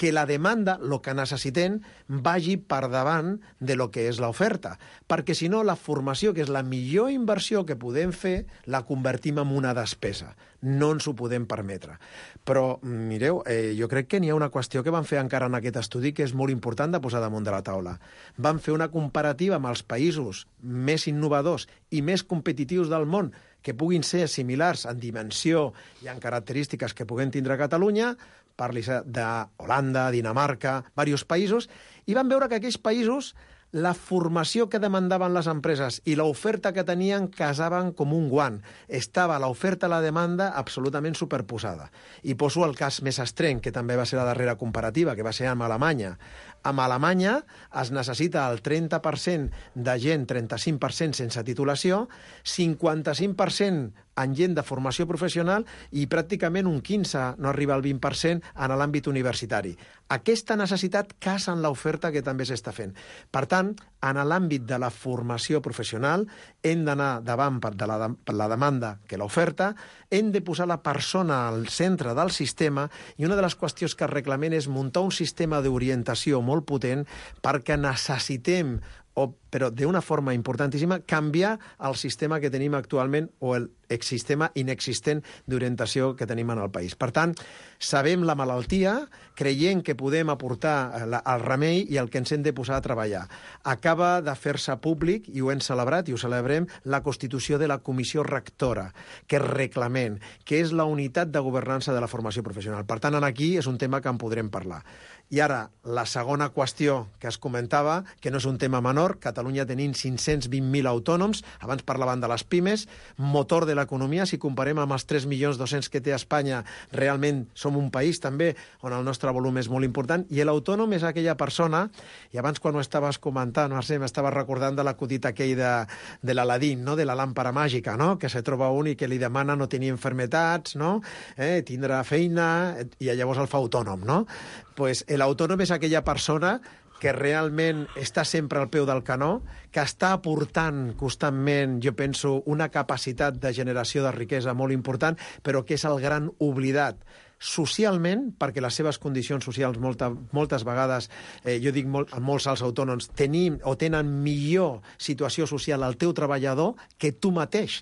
que la demanda, el que necessitem, vagi per davant de lo que és l'oferta. Perquè, si no, la formació, que és la millor inversió que podem fer, la convertim en una despesa. No ens ho podem permetre. Però, mireu, jo crec que n'hi ha una qüestió que van fer encara en aquest estudi que és molt important de posar damunt de la taula. Van fer una comparativa amb els països més innovadors i més competitius del món que puguin ser similars en dimensió i en característiques que puguem tindre a Catalunya, parli d'Holanda, Dinamarca, diversos països, i van veure que aquells països la formació que demandaven les empreses i l'oferta que tenien casaven com un guant. Estava l'oferta a la demanda absolutament superposada. I poso el cas més estrany, que també va ser la darrera comparativa, que va ser amb Alemanya. Amb Alemanya es necessita el 30% de gent, 35% sense titulació, 55% en gent de formació professional i pràcticament un 15%, no arriba al 20%, en l'àmbit universitari. Aquesta necessitat casa en l'oferta que també s'està fent. Per tant, en l'àmbit de la formació professional hem d'anar davant per la demanda que l'oferta, hem de posar la persona al centre del sistema i una de les qüestions que reclamem és muntar un sistema d'orientació molt potent perquè necessitem o però d'una forma importantíssima, canviar el sistema que tenim actualment o el sistema inexistent d'orientació que tenim en el país. Per tant, sabem la malaltia, creient que podem aportar el remei i el que ens hem de posar a treballar. Acaba de fer-se públic, i ho hem celebrat i ho celebrem, la constitució de la comissió rectora, que és reglament, que és la unitat de governança de la formació professional. Per tant, aquí és un tema que en podrem parlar. I ara, la segona qüestió que es comentava, que no és un tema menor, Catalunya tenim 520.000 autònoms, abans parlaven de les pimes, motor de l'economia, si comparem amb els 3.200.000 que té Espanya, realment som un país també on el nostre volum és molt important, i l'autònom és aquella persona, i abans quan ho estaves comentant, Mercè, m'estaves recordant de l'acudit aquell de l'Aladín, no? De la làmpara màgica, no? Que se troba un i que li demana no tenir enfermetats, no? Tindrà feina, i llavors el fa autònom, no? Pues l'autònom és aquella persona que realment està sempre al peu del canó, que està aportant constantment, jo penso, una capacitat de generació de riquesa molt important, però que és el gran oblidat socialment, perquè les seves condicions socials moltes vegades, jo dic molts als autònoms, tenen millor situació social al teu treballador que tu mateix,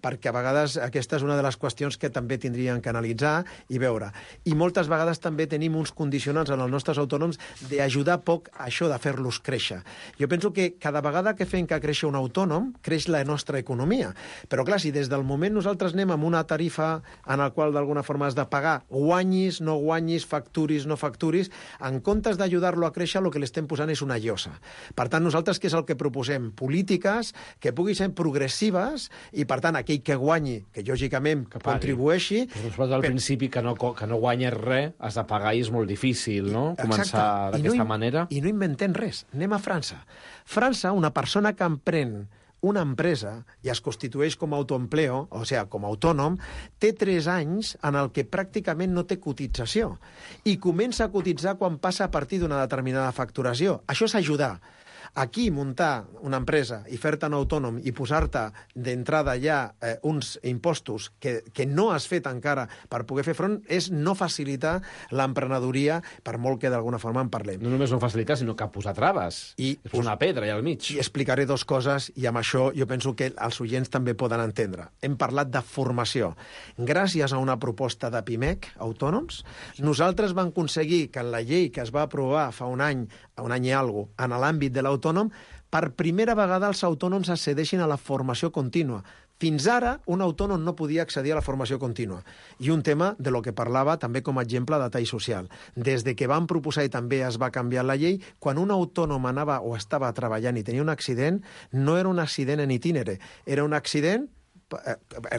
perquè a vegades aquesta és una de les qüestions que també tindrien que analitzar i veure. I moltes vegades també tenim uns condicionants en els nostres autònoms d'ajudar poc a això de fer-los créixer. Jo penso que cada vegada que fem que créixer un autònom, creix la nostra economia. Però clar, si des del moment nosaltres anem amb una tarifa en la qual d'alguna forma has de pagar, guanyis, no guanyis, facturis, no facturis, en comptes d'ajudar-lo a créixer, el que l'estem posant és una llosa. Per tant, nosaltres què és el que proposem? Polítiques que puguin ser progressives i, per tant, aquell que guanyi, que lògicament que contribueixi... Però al principi que no guanyes res, has de pagar i és molt difícil, no? Començar d'aquesta manera. I no inventem res. Anem a França. França, una persona que emprèn una empresa i es constitueix com a autoempleo, o sigui, com a autònom, té 3 anys en el que pràcticament no té cotització i comença a cotitzar quan passa a partir d'una determinada facturació. Això és ajudar. Aquí, muntar una empresa i fer-te un autònom i posar-te d'entrada ja uns impostos que no has fet encara per poder fer front és no facilitar l'emprenedoria, per molt que d'alguna forma en parlem. No només no facilitar, sinó que posar traves. És una pedra allà al mig. I explicaré 2 coses, i amb això jo penso que els oients també poden entendre. Hem parlat de formació. Gràcies a una proposta de PIMEC, autònoms, nosaltres vam aconseguir que en la llei que es va aprovar fa un any i alguna cosa, en l'àmbit de l'autònom, per primera vegada els autònoms accedeixin a la formació contínua. Fins ara, un autònom no podia accedir a la formació contínua. I un tema de lo que parlava també com a exemple de tall social. Des de que van proposar i també es va canviar la llei, quan un autònom anava o estava treballant i tenia un accident, no era un accident en itinere, era un accident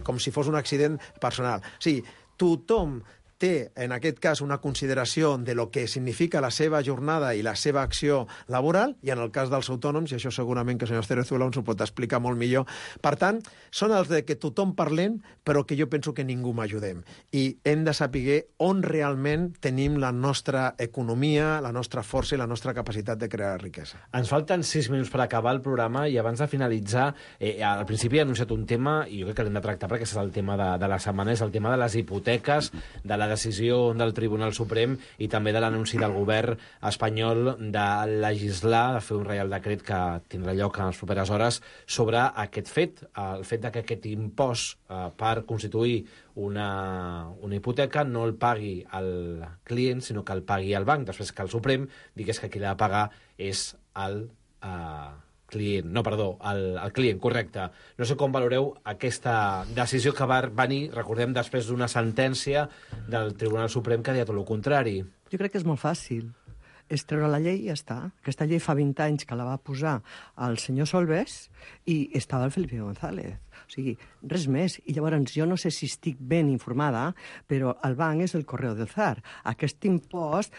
com si fos un accident personal. O sigui, tothom té, en aquest cas, una consideració de lo que significa la seva jornada i la seva acció laboral, i en el cas dels autònoms, i això segurament que el senyor Cerezuela ens ho pot explicar molt millor. Per tant, són els de que tothom parlem, però que jo penso que ningú m'ajudem. I hem de saber on realment tenim la nostra economia, la nostra força i la nostra capacitat de crear riquesa. Ens falten 6 minuts per acabar el programa i abans de finalitzar, al principi he anunciat un tema, i jo crec que l'hem de tractar perquè és el tema de la setmana, és el tema de les hipoteques, de la decisió del Tribunal Suprem i també de l'anunci del govern espanyol de legislar, de fer un reial decret que tindrà lloc en les properes hores sobre aquest fet, el fet que aquest impost per constituir una hipoteca no el pagui el client, sinó que el pagui el banc, després que el Suprem digués que qui l'ha de pagar és el client, correcte. No sé com valoreu aquesta decisió que va venir, recordem, després d'una sentència del Tribunal Suprem que deia tot el contrari. Jo crec que és molt fàcil. És treure la llei i ja està. Aquesta llei fa 20 anys que la va posar el senyor Solbes i estava el Felipe González. O sigui, res més. I llavors jo no sé si estic ben informada, però el banc és el Correo del Zar. Aquest impost,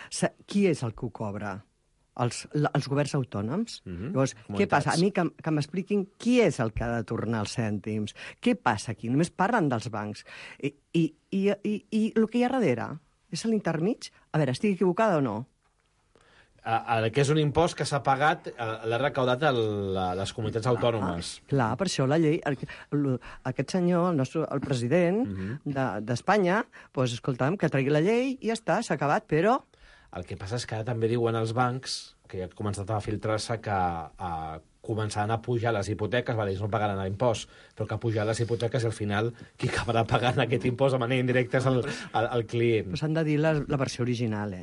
qui és el que ho cobra? Els governs autònoms. Llavors, què passa? A mi que m'expliquin qui és el que ha de tornar els cèntims. Què passa aquí? Només parlen dels bancs. I el que hi ha darrere és l'intermig? A veure, estic equivocada o no? Que és un impost que s'ha pagat, l'ha recaudat a les comunitats autònomes. Clar, per això la llei... Aquest senyor, el president d'Espanya, doncs, escolta'm, que tregui la llei i ja està, s'ha acabat, però... El que passa és que ara també diuen els bancs, que ja ha començat a filtrar-se, que començaran a pujar les hipoteques, vale, ells no pagaran l'impost, però que pujar les hipoteques i al final qui acabarà pagant aquest impost de manera indirecta és el client. Però s'han de dir la versió original,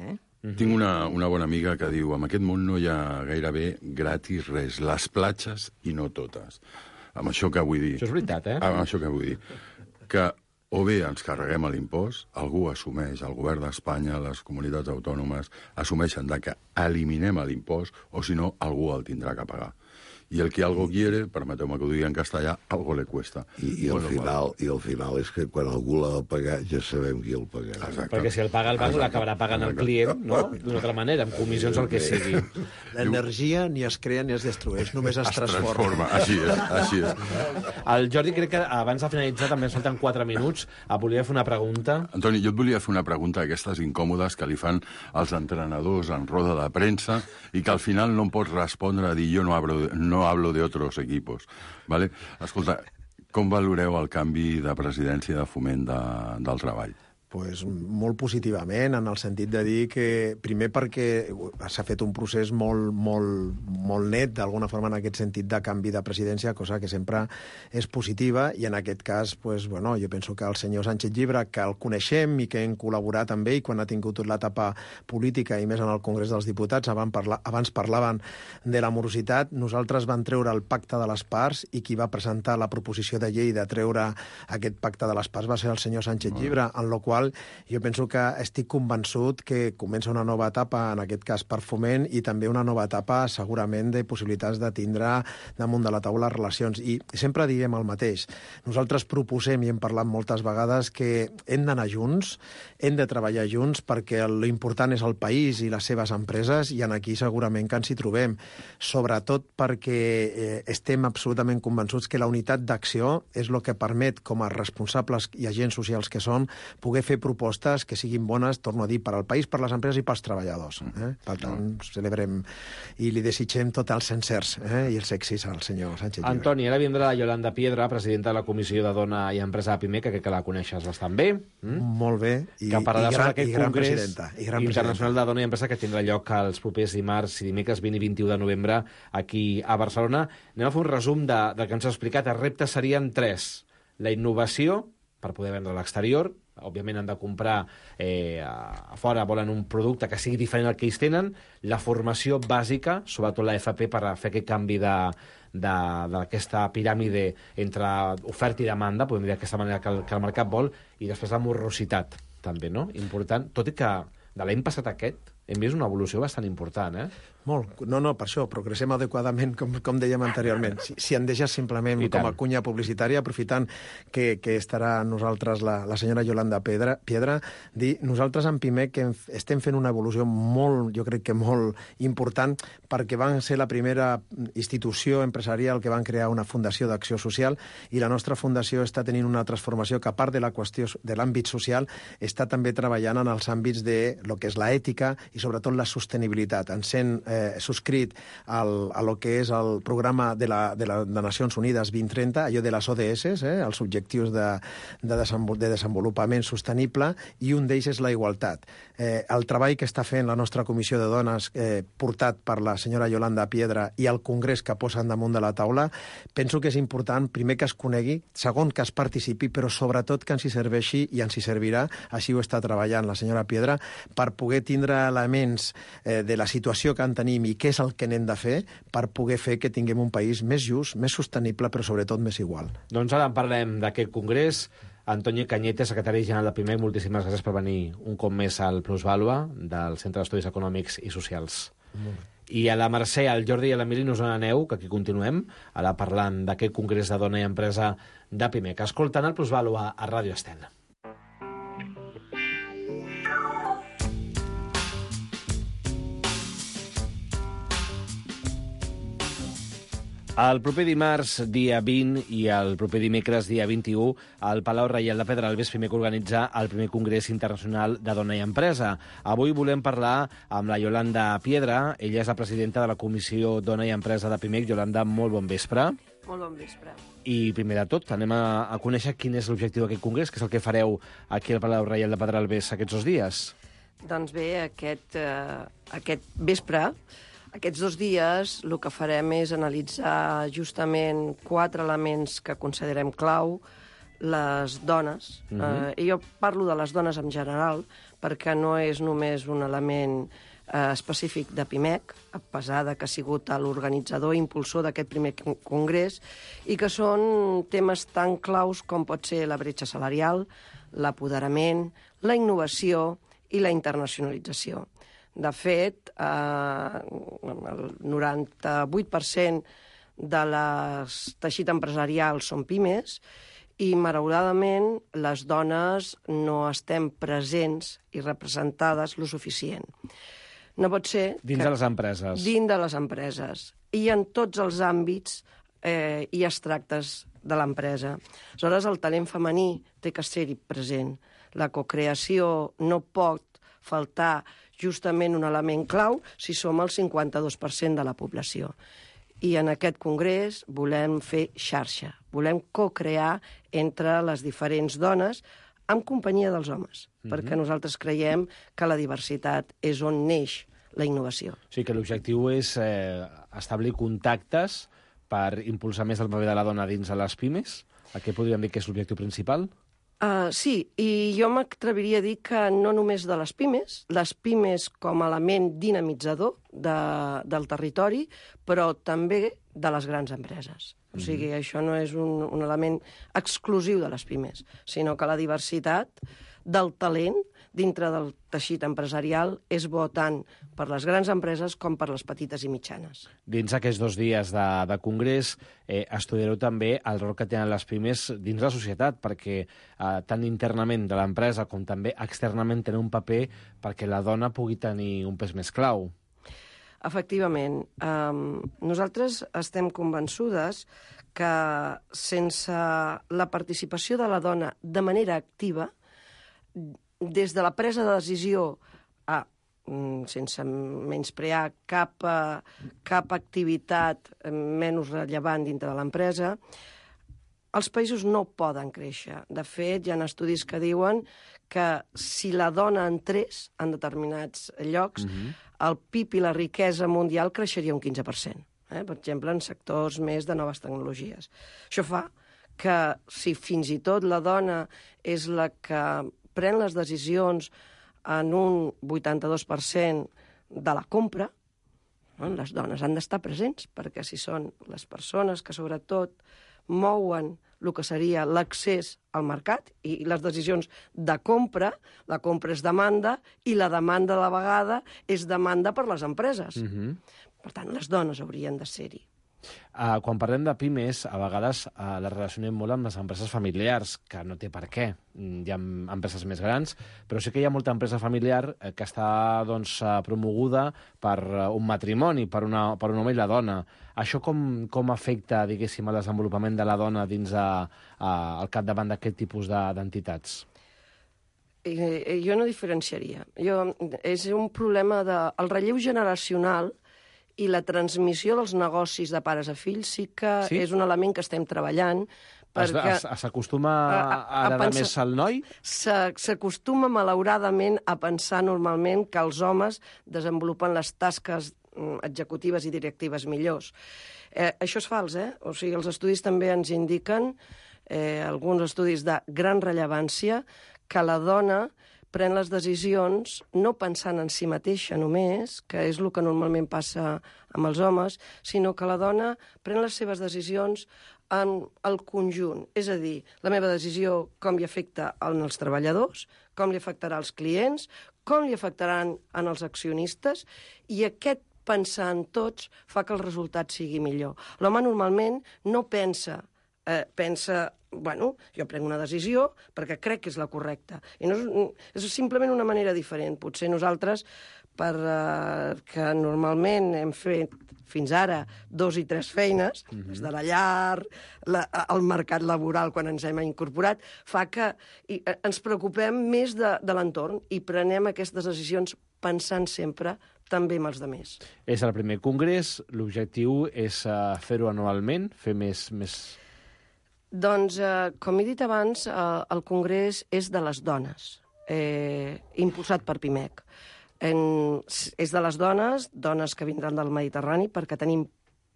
Tinc una bona amiga que diu en aquest món no hi ha gairebé gratis res, les platges i no totes. Amb això que vull dir... Això és veritat, Amb això que vull dir. Que o bé ens carreguem l'impost, algú assumeix, el govern d'Espanya, les comunitats autònomes, assumeixen que eliminem l'impost, o si no, algú el tindrà que pagar. Y el que algo quiere, permeteu-me que ho digui en castellà, algo le cuesta. I al final és que quan algú l'ha de pagar ja sabem qui el pagarà. Exacte. Perquè si el paga el banc l'acabarà pagant el client, no? D'una altra manera, amb comissions o el que sigui. L'energia ni es crea ni es destrueix, només es transforma. Així és. El Jordi, crec que abans de finalitzar, també ens falten 4 minuts, volia fer una pregunta. Antoni, jo et volia fer una pregunta d'aquestes incòmodes que li fan els entrenadors en roda de premsa i que al final no em pots respondre a dir jo no hablo de otros equipos. ¿Vale? Escolta, com valoreu el canvi de presidència de Foment del Treball? Pues molt positivament, en el sentit de dir que, primer perquè s'ha fet un procés molt net, d'alguna forma, en aquest sentit de canvi de presidència, cosa que sempre és positiva, i en aquest cas, pues, bueno, jo penso que el senyor Sánchez Llibre, que el coneixem i que hem col·laborat amb ell quan ha tingut l'etapa política, i més en el Congrés dels Diputats, abans parlaven de la morositat, nosaltres vam treure el pacte de les parts, i qui va presentar la proposició de llei de treure aquest pacte de les parts va ser el senyor Sánchez Llibre, en la qual jo penso que estic convençut que comença una nova etapa, en aquest cas per Foment, i també una nova etapa segurament de possibilitats de tindre damunt de la taula relacions. I sempre diem el mateix. Nosaltres proposem, i hem parlat moltes vegades, que hem d'anar junts, hem de treballar junts, perquè l'important és el país i les seves empreses, i en aquí segurament que ens hi trobem. Sobretot perquè estem absolutament convençuts que la unitat d'acció és el que permet, com a responsables i agents socials que som, poder fer propostes que siguin bones, torno a dir, per al país, per les empreses i pels treballadors. Per tant, celebrem i li desitgem tots els encerts i els èxits al senyor Sánchez Llibre. Antoni, ara vindrà la Yolanda Piedra, presidenta de la Comissió de Dona i Empresa de PIMEC, que crec que la coneixes bastant bé. Molt bé. Que parlarà sobre aquest Congrés Internacional de Dona i Empresa que tindrà lloc els propers dimarts i dimecres 20 i 21 de novembre aquí a Barcelona. Anem a fer un resum del que ens ha explicat. Els reptes serien 3. La innovació, per poder vendre a l'exterior. Òbviament han de comprar a fora, volen un producte que sigui diferent al que ells tenen. La formació bàsica, sobretot la FP, per fer aquest canvi d'aquesta piràmide entre oferta i demanda, podem dir d'aquesta manera que el mercat vol, i després la morositat, també, no? Important, tot i que de l'any passat aquest hem vist una evolució bastant important, Molt. No, per això, progressem adequadament, com dèiem anteriorment. Si em deixes simplement com a cunya publicitària, aprofitant que estarà amb nosaltres la senyora Yolanda Piedra, dir, nosaltres en PIMEC estem fent una evolució jo crec que molt important, perquè van ser la primera institució empresarial que van crear una fundació d'acció social, i la nostra fundació està tenint una transformació que, a part de la qüestió de l'àmbit social, està també treballant en els àmbits de lo que és l'ètica i sobretot la sostenibilitat. Ens hem subscrit a lo que és el programa de Nacions Unides 2030, allò de les ODS, els objectius de desenvolupament sostenible, i un d'ells és la igualtat. El treball que està fent la nostra Comissió de Dones, portat per la senyora Yolanda Piedra, i el Congrés que posen damunt de la taula, penso que és important, primer, que es conegui, segon, que es participi, però sobretot que ens hi serveixi i ens hi servirà, així ho està treballant la senyora Piedra, per poder tindre elements de la situació que en tenim i què és el que n'hem de fer per poder fer que tinguem un país més just, més sostenible, però sobretot més igual. Doncs ara en parlem d'aquest congrés. Antoni Cañete, secretari general de PIMEC, moltíssimes gràcies per venir un cop més al Plusvàlua del Centre d'Estudis Econòmics i Socials. I a la Mercè, al Jordi i a l'Emili, no us n'aneu, que aquí continuem, ara parlant d'aquest congrés de dona i empresa de PIMEC. Escoltant el Plusvàlua a Ràdio Estel. El proper dimarts, dia 20, i el proper dimecres, dia 21, al Palau Reial de Pedralbes, PIMEC organitza el primer Congrés Internacional de Dona i Empresa. Avui volem parlar amb la Yolanda Piedra. Ella és la presidenta de la Comissió Dona i Empresa de PIMEC. Yolanda, molt bon vespre. Molt bon vespre. I primer de tot, anem a conèixer quin és l'objectiu d'aquest congrés, que és el que fareu aquí al Palau Reial de Pedralbes aquests 2 dies. Doncs bé, aquest vespre Aquests 2 dies el que farem és analitzar justament 4 elements que considerem clau, les dones. I jo parlo de les dones en general, perquè no és només un element específic de PIMEC, a pesar de que ha sigut l'organitzador i impulsor d'aquest primer congrés, i que són temes tan claus com pot ser la bretxa salarial, l'apoderament, la innovació i la internacionalització. De fet, el 98% de les teixit empresarial són pimes i, malauradament, les dones no estem presents i representades lo suficient. No pot ser... Dins de les empreses. Dins de les empreses. I en tots els àmbits i extractes de l'empresa. Aleshores, el talent femení té que ser-hi present. La cocreació no pot faltar justament un element clau si som el 52% de la població. I en aquest congrés volem fer xarxa, volem cocrear entre les diferents dones en companyia dels homes, perquè nosaltres creiem que la diversitat és on neix la innovació. O sigui que l'objectiu és establir contactes per impulsar més el paper de la dona dins de les pimes? Què podríem dir que és l'objectiu principal? Sí, i jo m'atreviria a dir que no només de les pimes com a element dinamitzador del territori, però també de les grans empreses. O sigui, això no és un element exclusiu de les pimes, sinó que la diversitat del talent dintre del teixit empresarial és bo tant per les grans empreses com per les petites i mitjanes. Dins aquests 2 dies de congrés estudiareu també el rol que tenen les pimes dins la societat, perquè tant internament de l'empresa com també externament tenen un paper perquè la dona pugui tenir un pes més clau. Efectivament. Nosaltres estem convençudes que sense la participació de la dona de manera activa, des de la presa de decisió sense menysprear cap activitat menys rellevant dintre de l'empresa, els països no poden créixer. De fet, hi ha estudis que diuen que si la dona entrés en determinats llocs, el PIB i la riquesa mundial creixeria un 15%. Per exemple, en sectors més de noves tecnologies. Això fa que si fins i tot la dona és la que pren les decisions en un 82% de la compra, les dones han d'estar presents, perquè si són les persones que sobretot mouen el que seria l'accés al mercat i les decisions de compra, la compra és demanda i la demanda a la vegada és demanda per les empreses. Per tant, les dones haurien de ser-hi. Quan parlem de pimes, a vegades les relacionem molt amb les empreses familiars, que no té per què. Hi ha empreses més grans, però sí que hi ha molta empresa familiar que està promoguda per un matrimoni, per un home i la dona. Això com afecta, diguéssim, el desenvolupament de la dona dins al capdavant d'aquest tipus d'entitats? Jo no diferenciaria. És un problema del relleu generacional i la transmissió dels negocis de pares a fills sí que és un element que estem treballant. S'acostuma a heredar més al noi? S'acostuma, malauradament, a pensar normalment que els homes desenvolupen les tasques executives i directives millors. Això és fals, O sigui, els estudis també ens indiquen, alguns estudis de gran rellevància, que la dona pren les decisions no pensant en si mateixa només, que és el que normalment passa amb els homes, sinó que la dona pren les seves decisions en el conjunt. És a dir, la meva decisió com li afecta als treballadors, com li afectarà als clients, com li afectaran als accionistes, i aquest pensar en tots fa que el resultat sigui millor. L'home normalment no pensa, jo prenc una decisió perquè crec que és la correcta. I no és simplement una manera diferent. Potser nosaltres, que normalment hem fet fins ara 2 i 3 feines, des de la llar, el mercat laboral quan ens hem incorporat, fa que ens preocupem més de l'entorn i prenem aquestes decisions pensant sempre també amb els altres. És el primer congrés, l'objectiu és fer-ho anualment, fer més... Doncs, com he dit abans, el congrés és de les dones, impulsat per PIMEC. És de les dones que vindran del Mediterrani, perquè tenim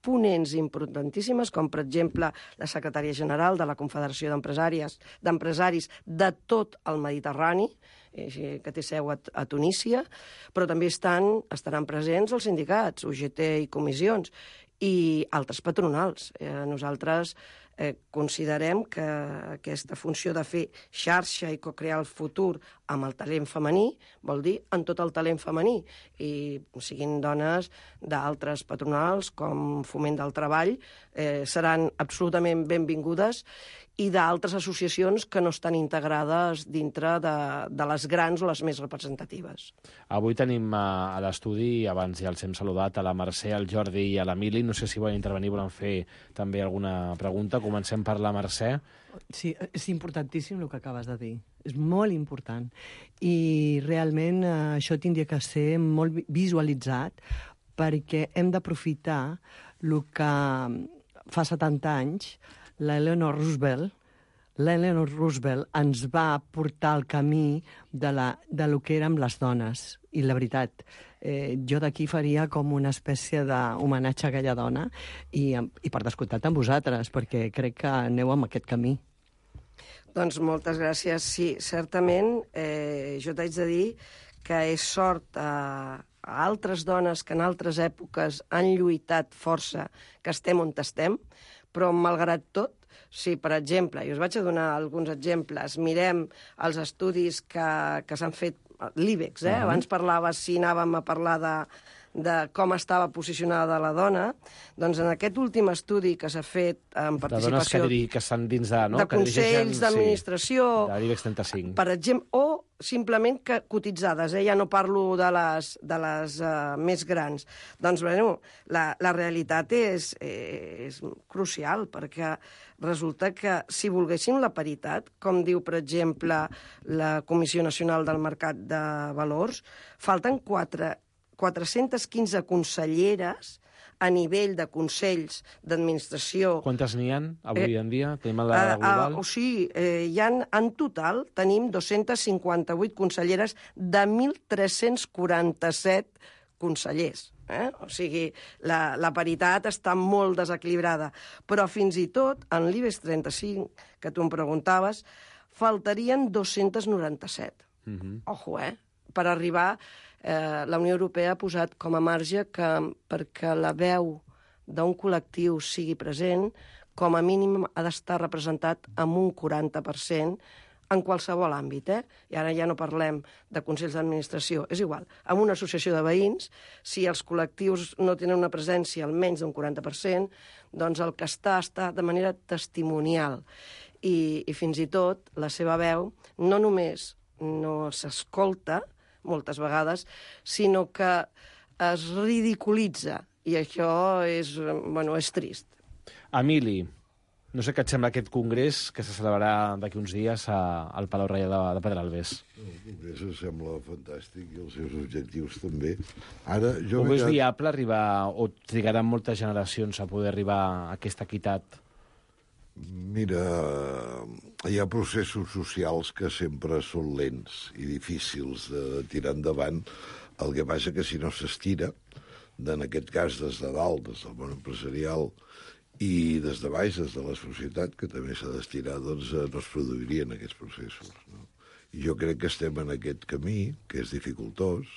ponents importantíssimes, com per exemple la secretària general de la Confederació d'Empresaris de tot el Mediterrani, que té seu a Tunísia, però també estaran presents els sindicats, UGT i comissions, i altres patronals. Nosaltres considerem que aquesta funció de fer xarxa i co-crear el futur amb el talent femení vol dir en tot el talent femení, i siguin dones d'altres patronals com Foment del Treball, seran absolutament benvingudes, i d'altres associacions que no estan integrades dintre de les grans o les més representatives. Avui tenim a l'estudi, abans ja els hem saludat, a la Mercè, al Jordi i a l'Emili. No sé si volen intervenir, volen fer també alguna pregunta. Comencem per la Mercè. Sí, és importantíssim el que acabes de dir. És molt important. I realment això tindria que ser molt visualitzat, perquè hem d'aprofitar el que fa 70 anys l'Eleanor Roosevelt ens va portar al camí de lo que érem les dones. I la veritat, jo d'aquí faria com una espècie d'homenatge a aquella dona i per descomptat amb vosaltres, perquè crec que aneu amb aquest camí. Doncs moltes gràcies. Sí, certament, jo t'haig de dir que és sort a altres dones que en altres èpoques han lluitat força, que estem on estem, però malgrat tot, si, per exemple, i us vaig a donar alguns exemples, mirem els estudis que s'han fet, l'IBEX, abans parlaves si anàvem a parlar de com estava posicionada la dona, doncs en aquest últim estudi que s'ha fet en participació... De dones que estan dins de... De consells d'administració... De l'IBEX 35. Per exemple, o simplement cotitzades, ja no parlo de les més grans. Doncs, bueno, la realitat és crucial, perquè resulta que si volguéssim la paritat, com diu, per exemple, la Comissió Nacional del Mercat de Valors, falten 415 conselleres a nivell de consells d'administració. Quantes n'hi ha avui en dia? Tenim la global? O sigui, en total tenim 258 conselleres de 1.347 consellers. O sigui, la paritat està molt desequilibrada. Però fins i tot, en l'IBEX 35, que tu em preguntaves, faltarien 297. Ojo, per arribar... La Unió Europea ha posat com a marge que perquè la veu d'un col·lectiu sigui present, com a mínim ha d'estar representat amb un 40% en qualsevol àmbit. I ara ja no parlem de consells d'administració, és igual. En una associació de veïns, si els col·lectius no tenen una presència almenys d'un 40%, doncs el que està de manera testimonial. I fins i tot la seva veu no només no s'escolta, moltes vegades, sinó que es ridiculitza, i això és trist. Emili, no sé què et sembla aquest congrés que se celebrarà d'aquí uns dies al Palau Reial de Pedralbes. El congrés em sembla fantàstic i els seus objectius també. Ho veus viable arribar, o trigaran moltes generacions a poder arribar a aquesta equitat? Mira, hi ha processos socials que sempre són lents i difícils de tirar endavant. El que passa que si no s'estira, en aquest cas des de dalt, des del món empresarial, i des de baix, des de la societat, que també s'ha d'estirar, doncs no es produirien aquests processos. No? I jo crec que estem en aquest camí, que és dificultós,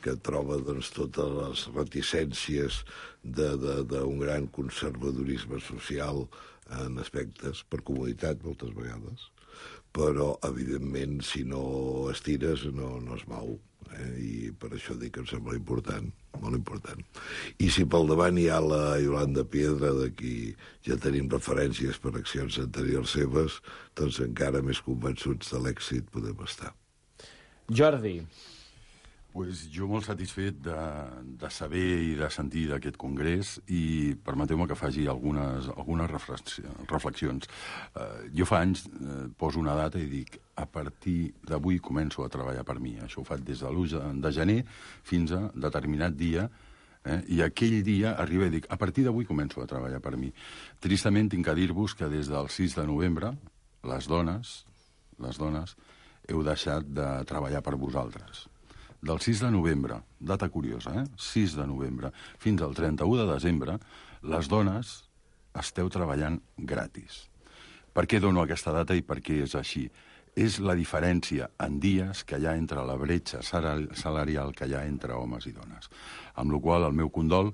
que troba doncs, totes les reticències d'un gran conservadorisme social en aspectes, per comoditat moltes vegades, però evidentment si no estires no es mou, i per això dic que em sembla important, molt important. I si pel davant hi ha la Yolanda Piedra, de qui ja tenim referències per accions anteriors seves, doncs encara més convençuts de l'èxit podem estar. Jordi. Pues jo molt satisfet de saber i de sentir d'aquest congrés, i permeteu-me que faci algunes reflexions. Jo fa anys poso una data i dic a partir d'avui començo a treballar per mi. Això ho faig des de l'1 de gener fins a determinat dia, i aquell dia arriba i dic a partir d'avui començo a treballar per mi. Tristament tinc que dir-vos que des del 6 de novembre les dones heu deixat de treballar per vosaltres. del 6 de novembre, data curiosa, 6 de novembre, fins al 31 de desembre, les dones esteu treballant gratis. Per què dono aquesta data i per què és així? És la diferència en dies que hi ha entre la bretxa salarial que hi ha entre homes i dones. Amb la qual cosa, el meu condol,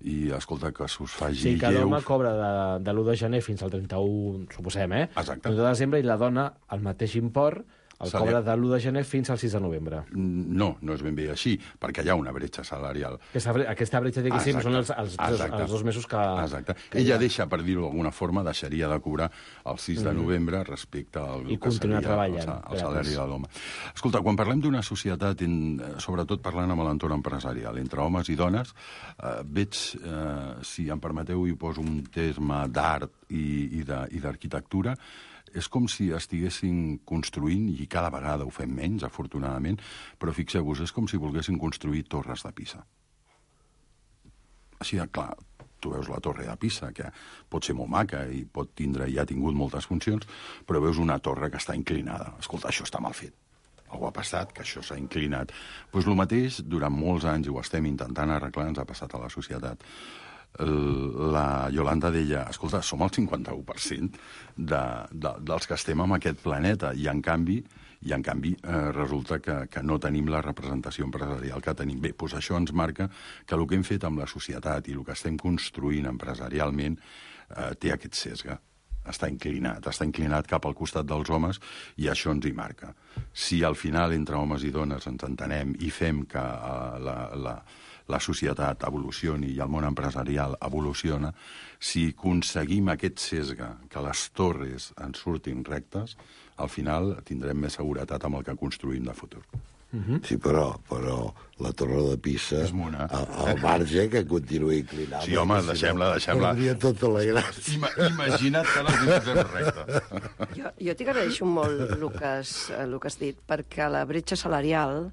i escolta, que s'us faci lleus... Sí, que l'home lleus... cobra de l'1 de gener fins al 31, suposem, Exacte. El 1 de desembre, i la dona el mateix import el cobra de l'1 de gener fins al 6 de novembre. No, no és ben bé així, perquè hi ha una bretxa salarial. Aquesta bretxa, diguéssim, són els 2 mesos que... Exacte. Ella deixa, per dir-ho d'alguna forma, deixaria de cobrar el 6 de novembre respecte al I continuar treballant. El salari de l'home. Escolta, quan parlem d'una societat, sobretot parlant amb l'entorn empresarial, entre homes i dones, veig, si em permeteu, hi poso un terme d'art i d'arquitectura, és com si estiguessin construint, i cada vegada ho fem menys, afortunadament, però fixeu-vos, és com si volguessin construir torres de Pisa. Així de clar, tu veus la torre de Pisa, que pot ser molt maca i pot tindre, i ha tingut moltes funcions, però veus una torre que està inclinada. Escolta, això està mal fet. Algú ha passat, que això s'ha inclinat. Doncs el mateix, durant molts anys, i ho estem intentant arreglar, ens ha passat a la societat. La Yolanda deia, escolta, som el 51% dels que estem en aquest planeta, i en canvi resulta que no tenim la representació empresarial que tenim. Bé, doncs això ens marca que el que hem fet amb la societat i el que estem construint empresarialment té aquest sesge. Està inclinat cap al costat dels homes, i això ens hi marca. Si al final entre homes i dones ens entenem i fem que la societat evolucioni i el món empresarial evoluciona, si aconseguim aquest sesge, que les torres ens surtin rectes, al final tindrem més seguretat amb el que construïm de futur. Sí, però la torre de Pisa, al marge que continuï inclinada. Sí, home, deixem-la. Perdria tota la gràcia. Imagina't que les deixem recta. Jo t'agraeixo molt el que has dit, perquè la bretxa salarial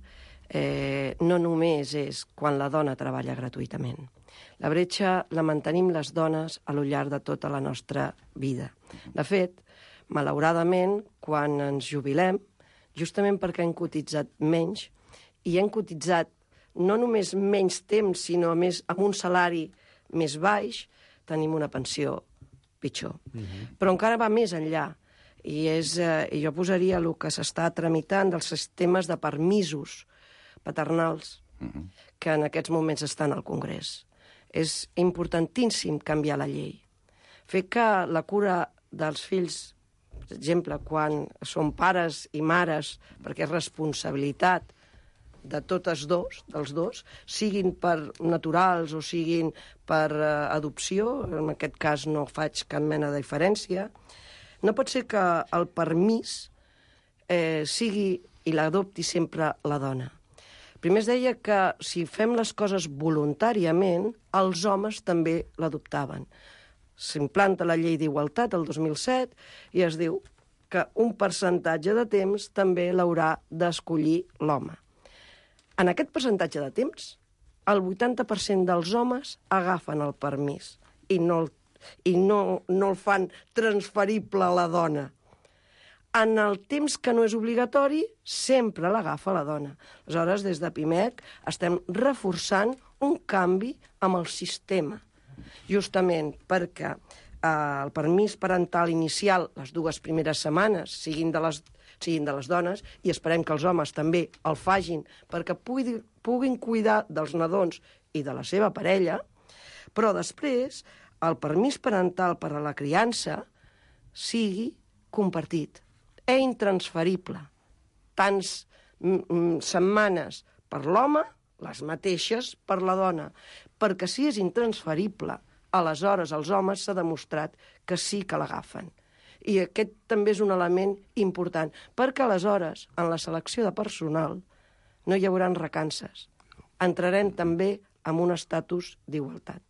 no només és quan la dona treballa gratuïtament. La bretxa la mantenim les dones a lo llarg de tota la nostra vida. De fet, malauradament, quan ens jubilem, justament perquè hem cotitzat menys, i hem cotitzat no només menys temps, sinó més amb un salari més baix, tenim una pensió pitjor. Però encara va més enllà, i jo posaria el que s'està tramitant dels sistemes de permisos paternals que en aquests moments estan al Congrés. És importantíssim canviar la llei. Fer que la cura dels fills, per exemple, quan són pares i mares, perquè és responsabilitat de totes dels dos, siguin per naturals o siguin per adopció, en aquest cas no faig cap mena de diferència, no pot ser que el permís sigui i l'adopti sempre la dona. Primer es deia que si fem les coses voluntàriament, els homes també l'adoptaven. S'implanta la llei d'igualtat el 2007 i es diu que un percentatge de temps també l'haurà d'escollir l'home. En aquest percentatge de temps, el 80% dels homes agafen el permís i no el fan transferible a la dona. En el temps que no és obligatori, sempre l'agafa la dona. Aleshores, des de PIMEC estem reforçant un canvi amb el sistema, justament perquè el permís parental inicial, les 2 primeres setmanes, siguin de les dones, i esperem que els homes també el facin perquè puguin cuidar dels nadons i de la seva parella, però després el permís parental per a la criança sigui compartit, intransferible. Tants setmanes per l'home, les mateixes per la dona, perquè si és intransferible, aleshores els homes s'ha demostrat que sí que l'agafen. I aquest també és un element important, perquè aleshores, en la selecció de personal, no hi haurà recances. Entrarem també en un estatus d'igualtat.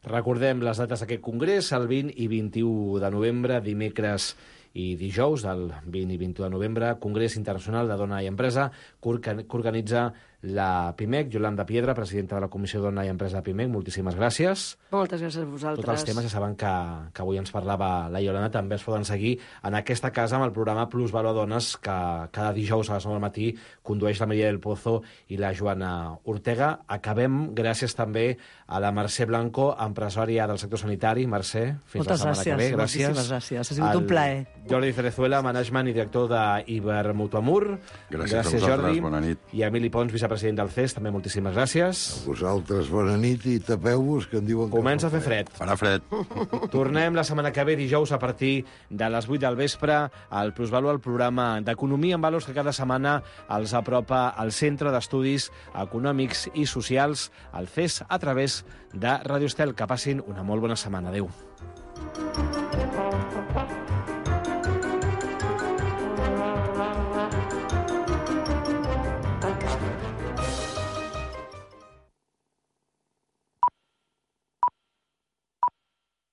Recordem les dates d'aquest congrés, el 20 i 21 de novembre, dimecres i dijous, del 20 i 21 de novembre, Congrés Internacional de Dona i Empresa, que organitza la PIMEC. Yolanda Piedra, presidenta de la Comissió Dona i Empresa de PIMEC, moltíssimes gràcies. Moltes gràcies a vosaltres. Tots els temes, ja saben que avui ens parlava la Yolanda, també es poden seguir en aquesta casa amb el programa Plus Valor Dones, que cada dijous a les 9 del matí condueix la Maria del Pozo i la Joana Ortega. Acabem gràcies també a la Mercè Blanco, empresària del sector sanitari. Mercè, fins la setmana que ve. Gràcies. Moltíssimes gràcies. Ha sigut un plaer. Jordi Cerezuela, management i director d'Ibermutuamur. Gràcies a Jordi. Bona nit. I Emili Pons, vicepresident del CES, també moltíssimes gràcies. A vosaltres, bona nit i tapeu-vos, que en diuen que comença a fer fred. Farà fred. Tornem la setmana que ve, dijous, a partir de les 8 del vespre, al Plusvalor, el programa d'Economia en Valors que cada setmana els apropa al Centre d'Estudis Econòmics i Socials, el CES, a través de Radio Estel. Que passin una molt bona setmana. Adéu.